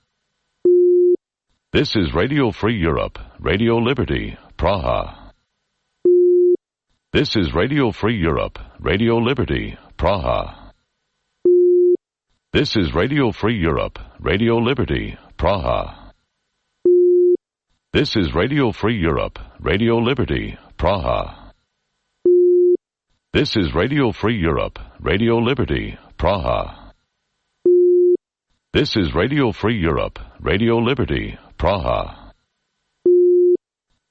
This is Radio Free Europe, Radio Liberty, Praha. This is Radio Free Europe, Radio Liberty, Praha. This is Radio Free Europe, Radio Liberty, Praha. This is Radio Free Europe, Radio Liberty, Praha. This is Radio Free Europe, Radio Liberty, Praha. This is Radio Free Europe, Radio Liberty, Praha.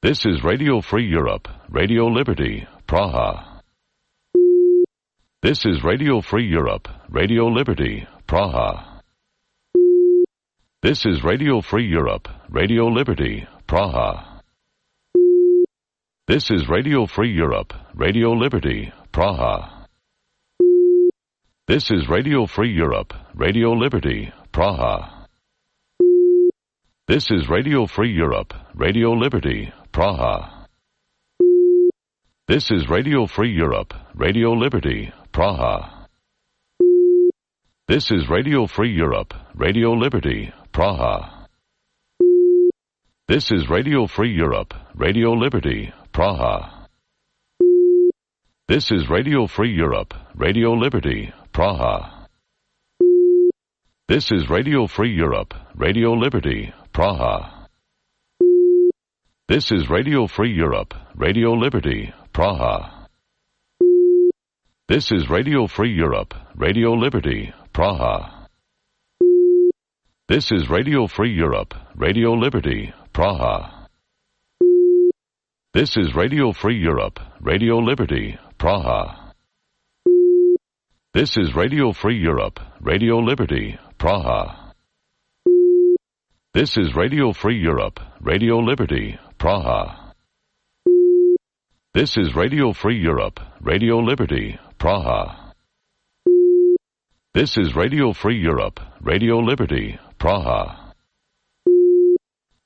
This is Radio Free Europe, Radio Liberty, Praha. This is Radio Free Europe, Radio Liberty, Praha. This is Radio Free Europe, Radio Liberty, Praha. This is Radio Free Europe, Radio Liberty, Praha. This is Radio Free Europe, Radio Liberty, Praha. This is Radio Free Europe, Radio Liberty, Praha. This is Radio Free Europe, Radio Liberty, Praha. This is Radio Free Europe, Radio Liberty, Praha. This is Radio Free Europe, Radio Liberty, Praha. This is Radio Free Europe, Radio Liberty, Praha. This is Radio Free Europe, Radio Liberty, Praha. This is Radio Free Europe, Radio Liberty, Praha. This is Radio Free Europe, Radio Liberty, Praha. This is Radio Free Europe, Radio Liberty, Praha. This is Radio Free Europe, Radio Liberty, Praha. This is Radio Free Europe, Radio Liberty, Praha. This is Radio Free Europe, Radio Liberty, Praha. This is Radio Free Europe, Radio Liberty, Praha. This is Radio Free Europe, Radio Liberty, Praha.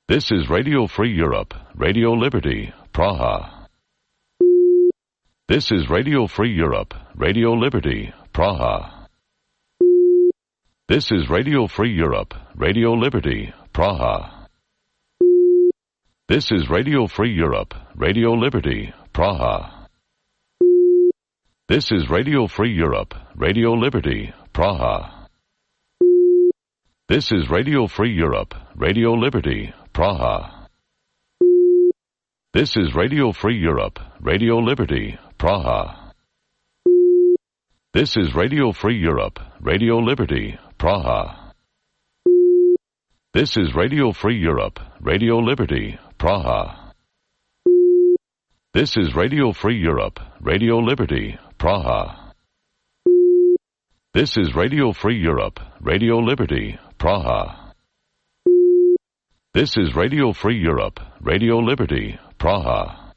This is Radio Free Europe, Radio Liberty, Praha. This is Radio Free Europe, Radio Liberty, Praha. This is Radio Free Europe, Radio Liberty, Praha. This is Radio Free Europe, Radio Liberty, Praha. This is Radio Free Europe, Radio Liberty, Praha. This is Radio Free Europe, Radio Liberty, Praha. This is Radio Free Europe, Radio Liberty, Praha. This is Radio Free Europe, Radio Liberty, Praha. This is Radio Free Europe, Radio Liberty, Praha. This is Radio Free Europe, Radio Liberty, Praha. This is Radio Free Europe, Radio Liberty, Praha. This is Radio Free Europe, Radio Liberty, Praha.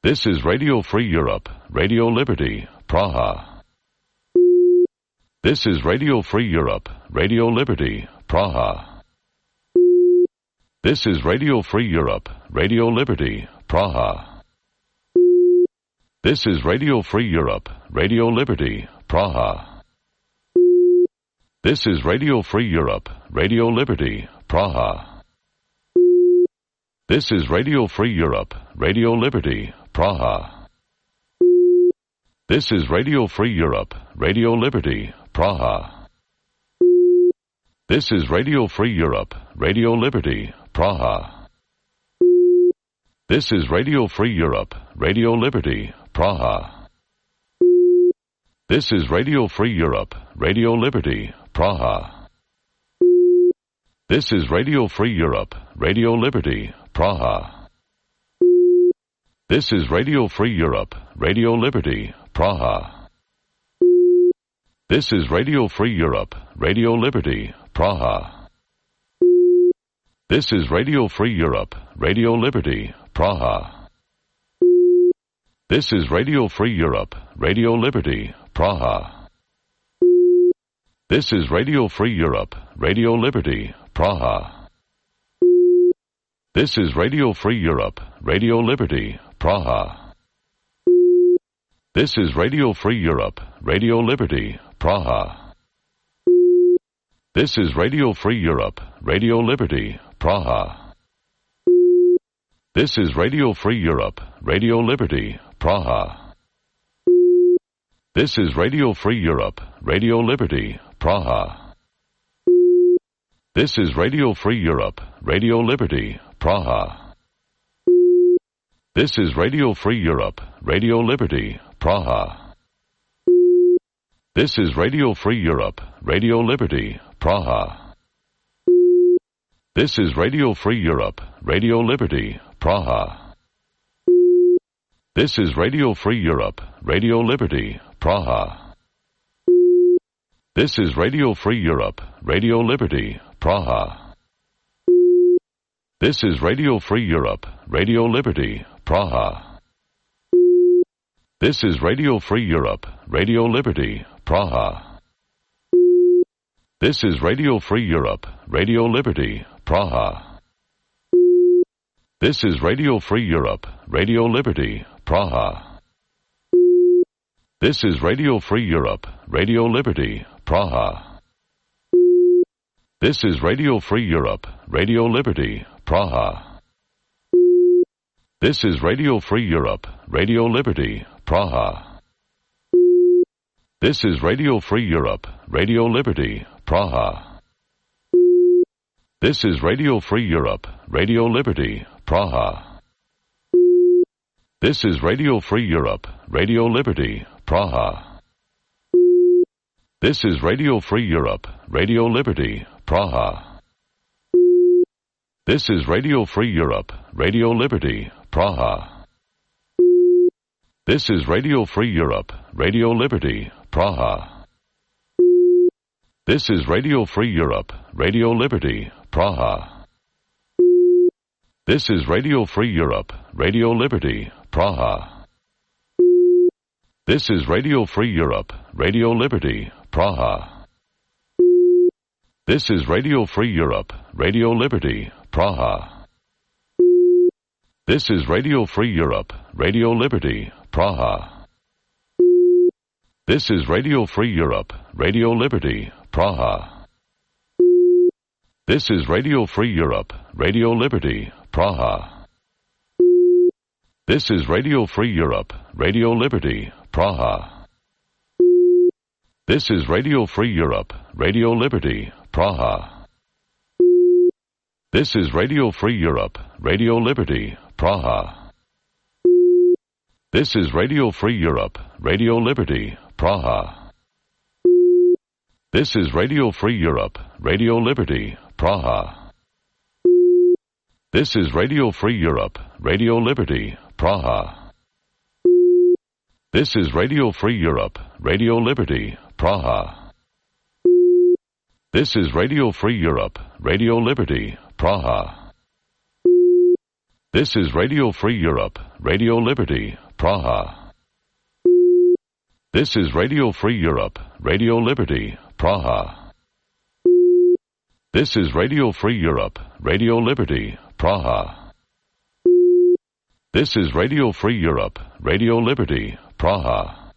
This is Radio Free Europe, Radio Liberty, Praha. This is Radio Free Europe, Radio Liberty, Praha. This is Radio Free Europe, Radio Liberty, Praha. This is Radio Free Europe, Radio Liberty, Praha. This is Radio Free Europe, Radio Liberty, Praha. This is Radio Free Europe, Radio Liberty, Praha. This is Radio Free Europe, Radio Liberty, Praha. This is Radio Free Europe, Radio Liberty, Praha. This is Radio Free Europe, Radio Liberty, Praha. This is Radio Free Europe, Radio Liberty, Praha. This is Radio Free Europe, Radio Liberty, Praha. This is Radio Free Europe, Radio Liberty, Praha. This is Radio Free Europe, Radio Liberty, Praha. This is Radio Free Europe, Radio Liberty, Praha. This is Radio Free Europe, Radio Liberty, Praha. This is Radio Free Europe, Radio Liberty, Praha. This is Radio Free Europe, Radio Liberty, Praha. This is Radio Free Europe, Radio Liberty, Praha. This is Radio Free Europe, Radio Liberty, Praha. This is Radio Free Europe, Radio Liberty, Praha. This is Radio Free Europe, Radio Liberty, Praha. This is Radio Free Europe, Radio Liberty, Praha. This is Radio Free Europe, Radio Liberty, Praha. This is Radio Free Europe, Radio Liberty, Praha. This is Radio Free Europe, Radio Liberty, Praha. This is Radio Free Europe, Radio Liberty, Praha. This is Radio Free Europe, Radio Liberty, Praha. This is Radio Free Europe, Radio Liberty, Praha. This is Radio Free Europe, Radio Liberty, Praha. This is Radio Free Europe, Radio Liberty, Praha. This is Radio Free Europe, Radio Liberty, Praha. This is Radio Free Europe, Radio Liberty, Praha. This is Radio Free Europe, Radio Liberty, Praha. This is Radio Free Europe, Radio Liberty, Praha. This is Radio Free Europe, Radio Liberty, Praha. This is Radio Free Europe, Radio Liberty, Praha. This is Radio Free Europe, Radio Liberty, Praha. This is Radio Free Europe, Radio Liberty, Praha. This is Radio Free Europe, Radio Liberty, Praha. This is Radio Free Europe, Radio Liberty, Praha. This is Radio Free Europe, Radio Liberty, Praha. This is Radio Free Europe, Radio Liberty, Praha. This is Radio Free Europe, Radio Liberty, Praha. This is Radio Free Europe, Radio Liberty, Praha. This is Radio Free Europe, Radio Liberty, Praha. This is Radio Free Europe, Radio Liberty, Praha. This is Radio Free Europe, Radio Liberty, Praha. This is Radio Free Europe, Radio Liberty, Praha. This is Radio Free Europe, Radio Liberty, Praha. This is Radio Free Europe, Radio Liberty, Praha. This is Radio Free Europe, Radio Liberty, Praha. This is Radio Free Europe, Radio Liberty, Praha. This is Radio Free Europe, Radio Liberty, Praha. This is Radio Free Europe, Radio Liberty, Praha. This is Radio Free Europe, Radio Liberty, Praha. This is Radio Free Europe, Radio Liberty, Praha. This is Radio Free Europe, Radio Liberty, Praha. This is Radio Free Europe, Radio Liberty, Praha. This is Radio Free Europe, Radio Liberty, Praha.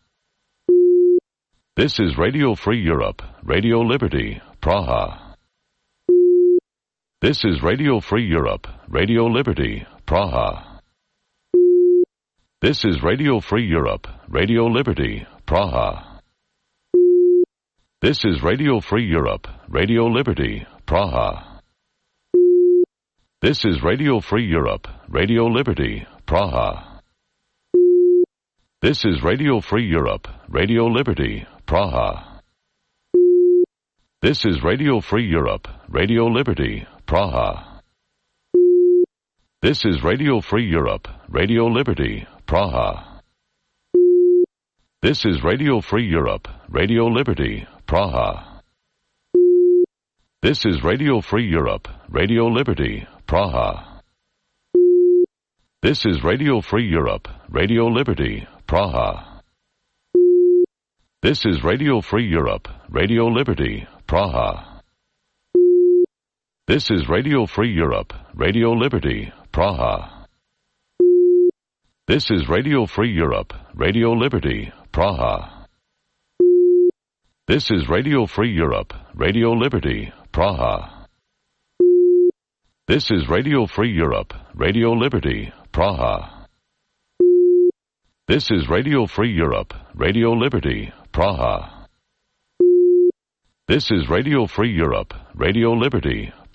This is Radio Free Europe, Radio Liberty, Praha. This is Radio Free Europe, Radio Liberty, Praha. This is Radio Free Europe, Radio Liberty, Praha. This is Radio Free Europe, Radio Liberty, Praha. This is Radio Free Europe, Radio Liberty, Praha. This is Radio Free Europe, Radio Liberty, Praha. This is Radio Free Europe, Radio Liberty, Praha. This is Radio Free Europe, Radio Liberty, Praha. This is Radio Free Europe, Radio Liberty, Praha. This is Radio Free Europe, Radio Liberty, Praha. This is Radio Free Europe, Radio Liberty, Praha. This is Radio Free Europe, Radio Liberty, Praha. This is Radio Free Europe, Radio Liberty, Praha. This is Radio Free Europe, Radio Liberty, Praha. This is Radio Free Europe, Radio Liberty, Praha. This is Radio Free Europe, Radio Liberty, Praha. This is Radio Free Europe, Radio Liberty, Praha. This is Radio Free Europe, Radio Liberty,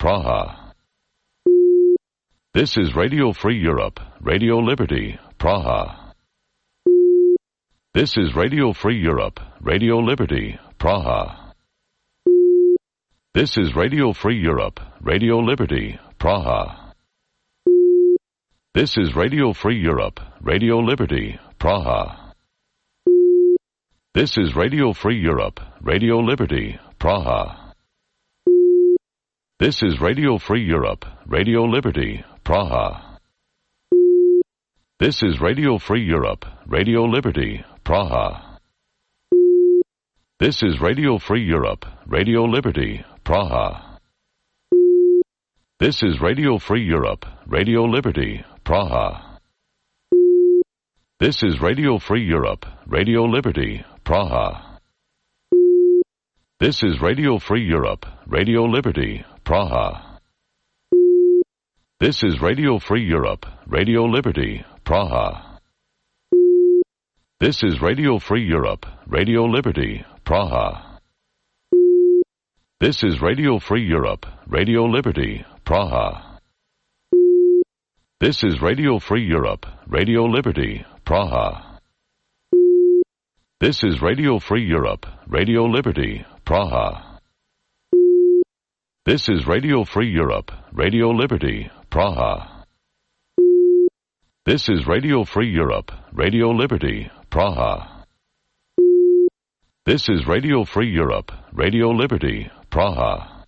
Praha. This is Radio Free Europe, Radio Liberty, Praha. This is Radio Free Europe, Radio Liberty, Praha. This is Radio Free Europe, Radio Liberty, Praha. This is Radio Free Europe, Radio Liberty, Praha. This is Radio Free Europe, Radio Liberty, Praha. This is Radio Free Europe, Radio Liberty, Praha. This is Radio Free Europe, Radio Liberty, Praha. This is Radio Free Europe, Radio Liberty, Praha. This is Radio Free Europe, Radio Liberty, Praha. This is Radio Free Europe, Radio Liberty, Praha. This is Radio Free Europe, Radio Liberty, Praha. This is Radio Free Europe, Radio Liberty, Praha. This is Radio Free Europe, Radio Liberty, Praha. This is Radio Free Europe, Radio Liberty, Praha. This is Radio Free Europe, Radio Liberty, Praha. This is Radio Free Europe, Radio Liberty, Praha. This is Radio Free Europe, Radio Liberty, Praha. This is Radio Free Europe, Radio Liberty, Praha. This is Radio Free Europe, Radio Liberty, Praha.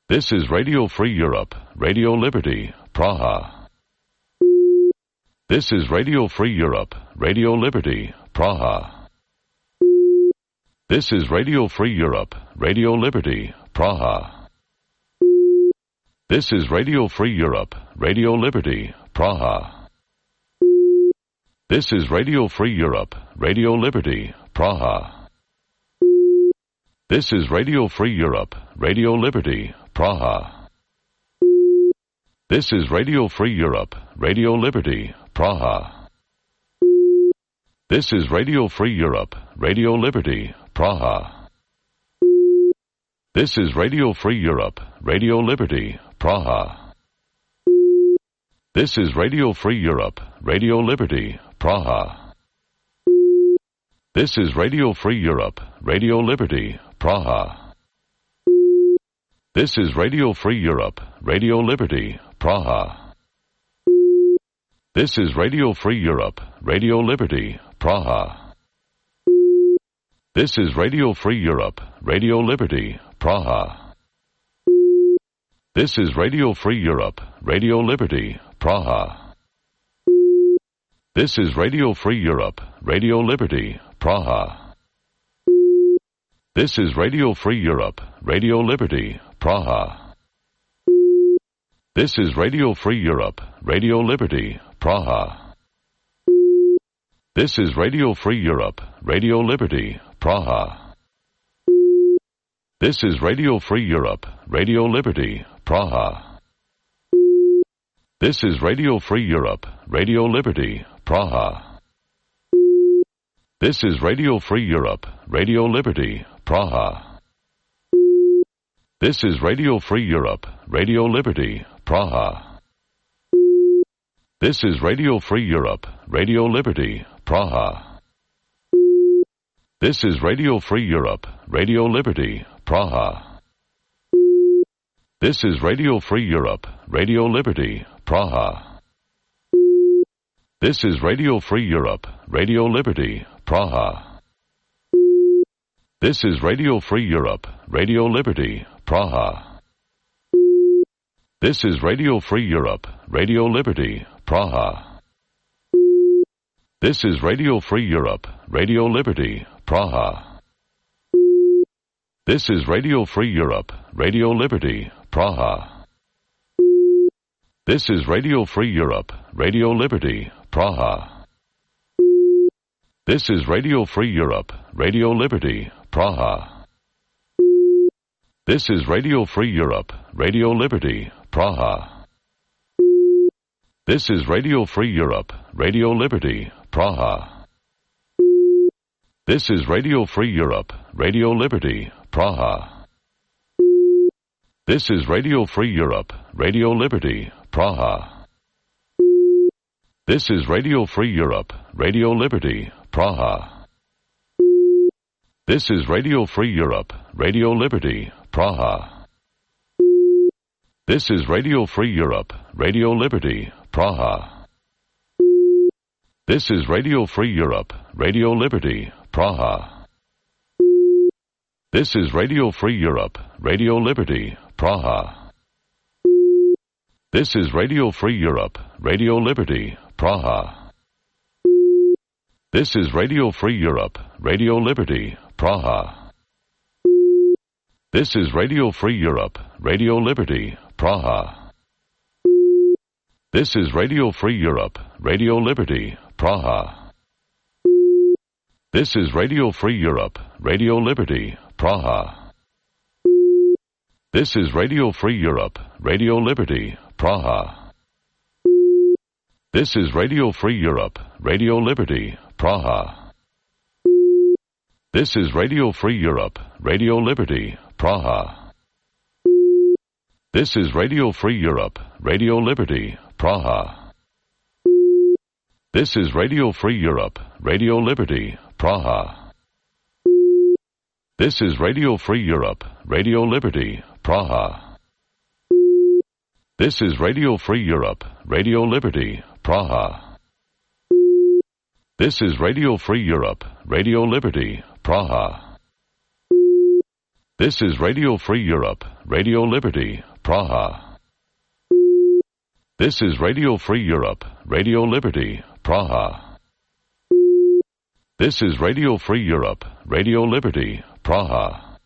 This is Radio Free Europe, Radio Liberty, Praha. This is Radio Free Europe, Radio Liberty, Praha. This is Radio Free Europe, Radio Liberty, Praha. This is Radio Free Europe, Radio Liberty, Praha. This is Radio Free Europe, Radio Liberty, Praha. This is Radio Free Europe, Radio Liberty, Praha. This is Radio Free Europe, Radio Liberty, Praha. This is Radio Free Europe, Radio Liberty, Praha. This is Radio Free Europe, Radio Liberty, Praha. This is Radio Free Europe, Radio Liberty, Praha. This is Radio Free Europe, Radio Liberty, Praha. This is Radio Free Europe, Radio Liberty, Praha. This is Radio Free Europe, Radio Liberty, Praha. This is Radio Free Europe, Radio Liberty, Praha. This is Radio Free Europe, Radio Liberty, Praha. This is Radio Free Europe, Radio Liberty, Praha. This is Radio Free Europe, Radio Liberty, Praha. This is Radio Free Europe, Radio Liberty, Praha. This is Radio Free Europe, Radio Liberty, Praha. This is Radio Free Europe, Radio Liberty, Praha. This is Radio Free Europe, Radio Liberty, Praha. This is Radio Free Europe, Radio Liberty, Praha. This is Radio Free Europe, Radio Liberty, Praha. This is Radio Free Europe, Radio Liberty, Praha. This is Radio Free Europe, Radio Liberty, Praha. This is Radio Free Europe, Radio Liberty, Praha. This is Radio Free Europe, Radio Liberty, Praha. This is Radio Free Europe, Radio Liberty, Praha. This is Radio Free Europe, Radio Liberty, Praha. This is Radio Free Europe, Radio Liberty, Praha. This is Radio Free Europe, Radio Liberty, Praha. This is Radio Free Europe, Radio Liberty, Praha. This is Radio Free Europe, Radio Liberty, Praha. This is Radio Free Europe, Radio Liberty, Praha. This is Radio Free Europe, Radio Liberty, Praha. This is Radio Free Europe, Radio Liberty, Praha. This is Radio Free Europe, Radio Liberty, Praha. This is Radio Free Europe, Radio Liberty, Praha. This is Radio Free Europe, Radio Liberty, Praha. This is Radio Free Europe, Radio Liberty, Praha. This is Radio Free Europe, Radio Liberty, Praha. This is Radio Free Europe, Radio Liberty, Praha. This is Radio Free Europe, Radio Liberty, Praha. This is Radio Free Europe, Radio Liberty, Praha. This is Radio Free Europe, Radio Liberty, Praha. This is Radio Free Europe, Radio Liberty, Praha. This is Radio Free Europe, Radio Liberty, Praha. This is Radio Free Europe, Radio Liberty, Praha. This is Radio Free Europe, Radio Liberty, Praha. This is Radio Free Europe, Radio Liberty, Praha. This is Radio Free Europe, Radio Liberty, Praha. This is Radio Free Europe, Radio Liberty, Praha. This is Radio Free Europe, Radio Liberty, Praha. This is Radio Free Europe, Radio Liberty, Praha. This is Radio Free Europe, Radio Liberty, Praha. This is Radio Free Europe, Radio Liberty, Praha. This is Radio Free Europe, Radio Liberty, Praha. This is Radio Free Europe, Radio Liberty, Praha.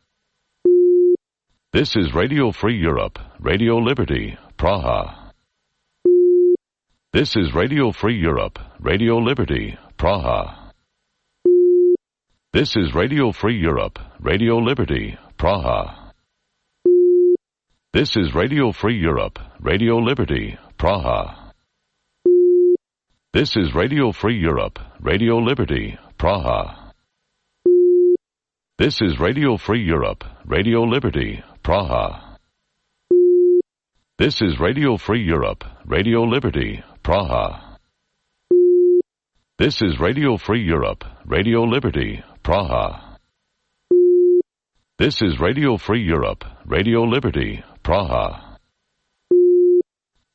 This is Radio Free Europe, Radio Liberty, Praha. This is Radio Free Europe, Radio Liberty, Praha. This is Radio Free Europe, Radio Liberty, Praha. This is Radio Free Europe, Radio Liberty, Praha. This is Radio Free Europe, Radio Liberty, Praha. This is Radio Free Europe, Radio Liberty, Praha. This is Radio Free Europe, Radio Liberty, Praha. This is Radio Free Europe, Radio Liberty, Praha. This is Radio Free Europe, Radio Liberty, Praha.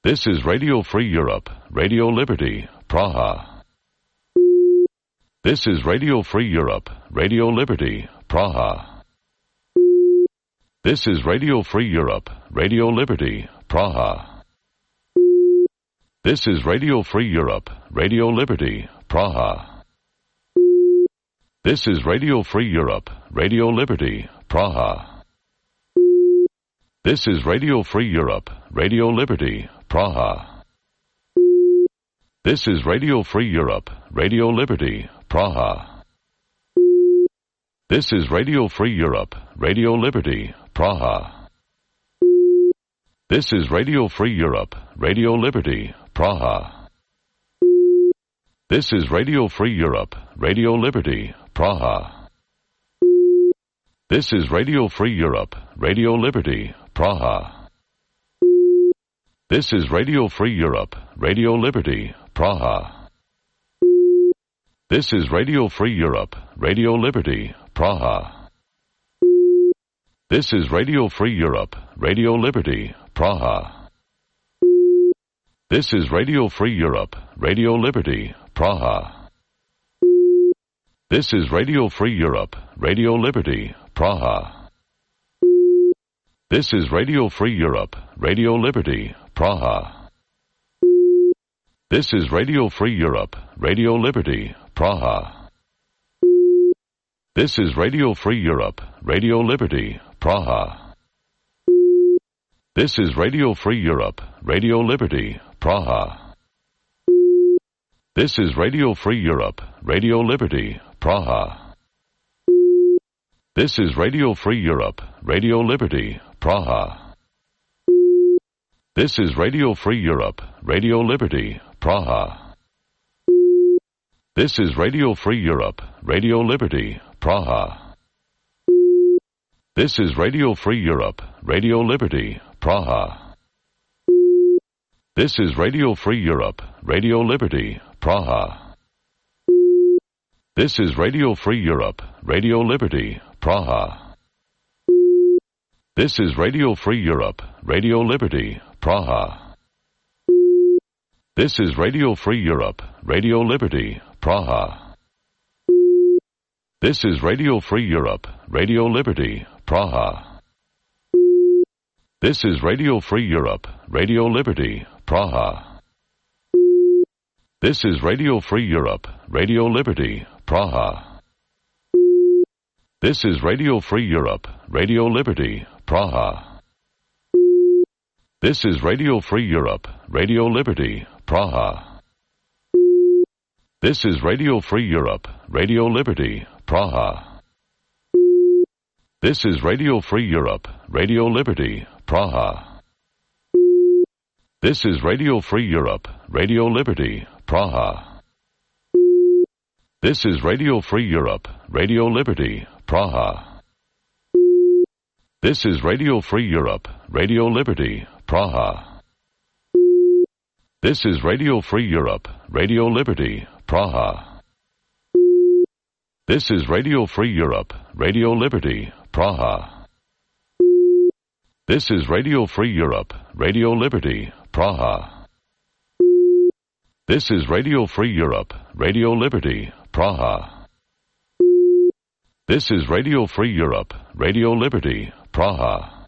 This is Radio Free Europe, Radio Liberty, Praha. This is Radio Free Europe, Radio Liberty, Praha. This is Radio Free Europe, Radio Liberty, Praha. This is Radio Free Europe, Radio Liberty, Praha. This is Radio Free Europe, Radio Liberty, Praha. This is Radio Free Europe, Radio Liberty, Praha. This is Radio Free Europe, Radio Liberty, Praha. This is Radio Free Europe, Radio Liberty, Praha. This is Radio Free Europe, Radio Liberty, Praha. This is Radio Free Europe, Radio Liberty, Praha. This is Radio Free Europe, Radio Liberty, Praha. This is Radio Free Europe, Radio Liberty, Praha. This is Radio Free Europe, Radio Liberty, Praha. This is Radio Free Europe, Radio Liberty, Praha. This is Radio Free Europe, Radio Liberty, Praha. This is Radio Free Europe, Radio Liberty, Praha. This is Radio Free Europe, Radio Liberty, Praha. This is Radio Free Europe, Radio Liberty, Praha. This is Radio Free Europe, Radio Liberty, Praha. This is Radio Free Europe, Radio Liberty, Praha. This is Radio Free Europe, Radio Liberty, Praha. This is Radio Free Europe, Radio Liberty, Praha. This is Radio Free Europe, Radio Liberty, Praha. This is Radio Free Europe, Radio Liberty, Praha. This is Radio Free Europe, Radio Liberty, Praha. This is Radio Free Europe, Radio Liberty, Praha. This is Radio Free Europe, Radio Liberty, Praha. This is Radio Free Europe, Radio Liberty, Praha. This is Radio Free Europe, Radio Liberty, Praha. This is Radio Free Europe, Radio Liberty, Praha. This is Radio Free Europe, Radio Liberty, Praha. This is Radio Free Europe, Radio Liberty, Praha. This is Radio Free Europe, Radio Liberty, Praha. This is Radio Free Europe, Radio Liberty, Praha. This is Radio Free Europe, Radio Liberty, Praha. This is Radio Free Europe, Radio Liberty, Praha. This is Radio Free Europe, Radio Liberty, Praha. This is Radio Free Europe, Radio Liberty, Praha. This is Radio Free Europe, Radio Liberty, Praha. This is Radio Free Europe, Radio Liberty, Praha. This is Radio Free Europe, Radio Liberty, Praha. This is Radio Free Europe, Radio Liberty, Praha. This is Radio Free Europe, Radio Liberty, Praha. This is Radio Free Europe, Radio Liberty, Praha.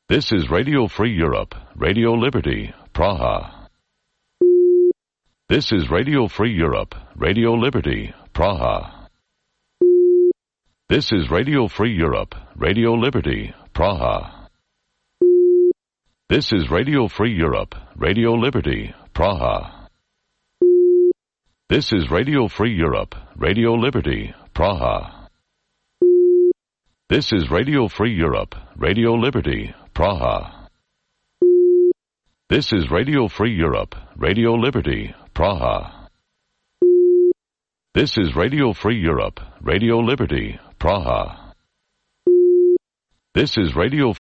This is Radio Free Europe, Radio Liberty, Praha. This is Radio Free Europe, Radio Liberty, Praha. This is Radio Free Europe, Radio Liberty, Praha. This is Radio Free Europe, Radio Liberty, Praha. This is Radio Free Europe, Radio Liberty, Praha. This is Radio Free Europe, Radio Liberty, Praha. This is Radio Free Europe, Radio Liberty, Praha. This is Radio Free Europe, Radio Liberty, Praha. This is Radio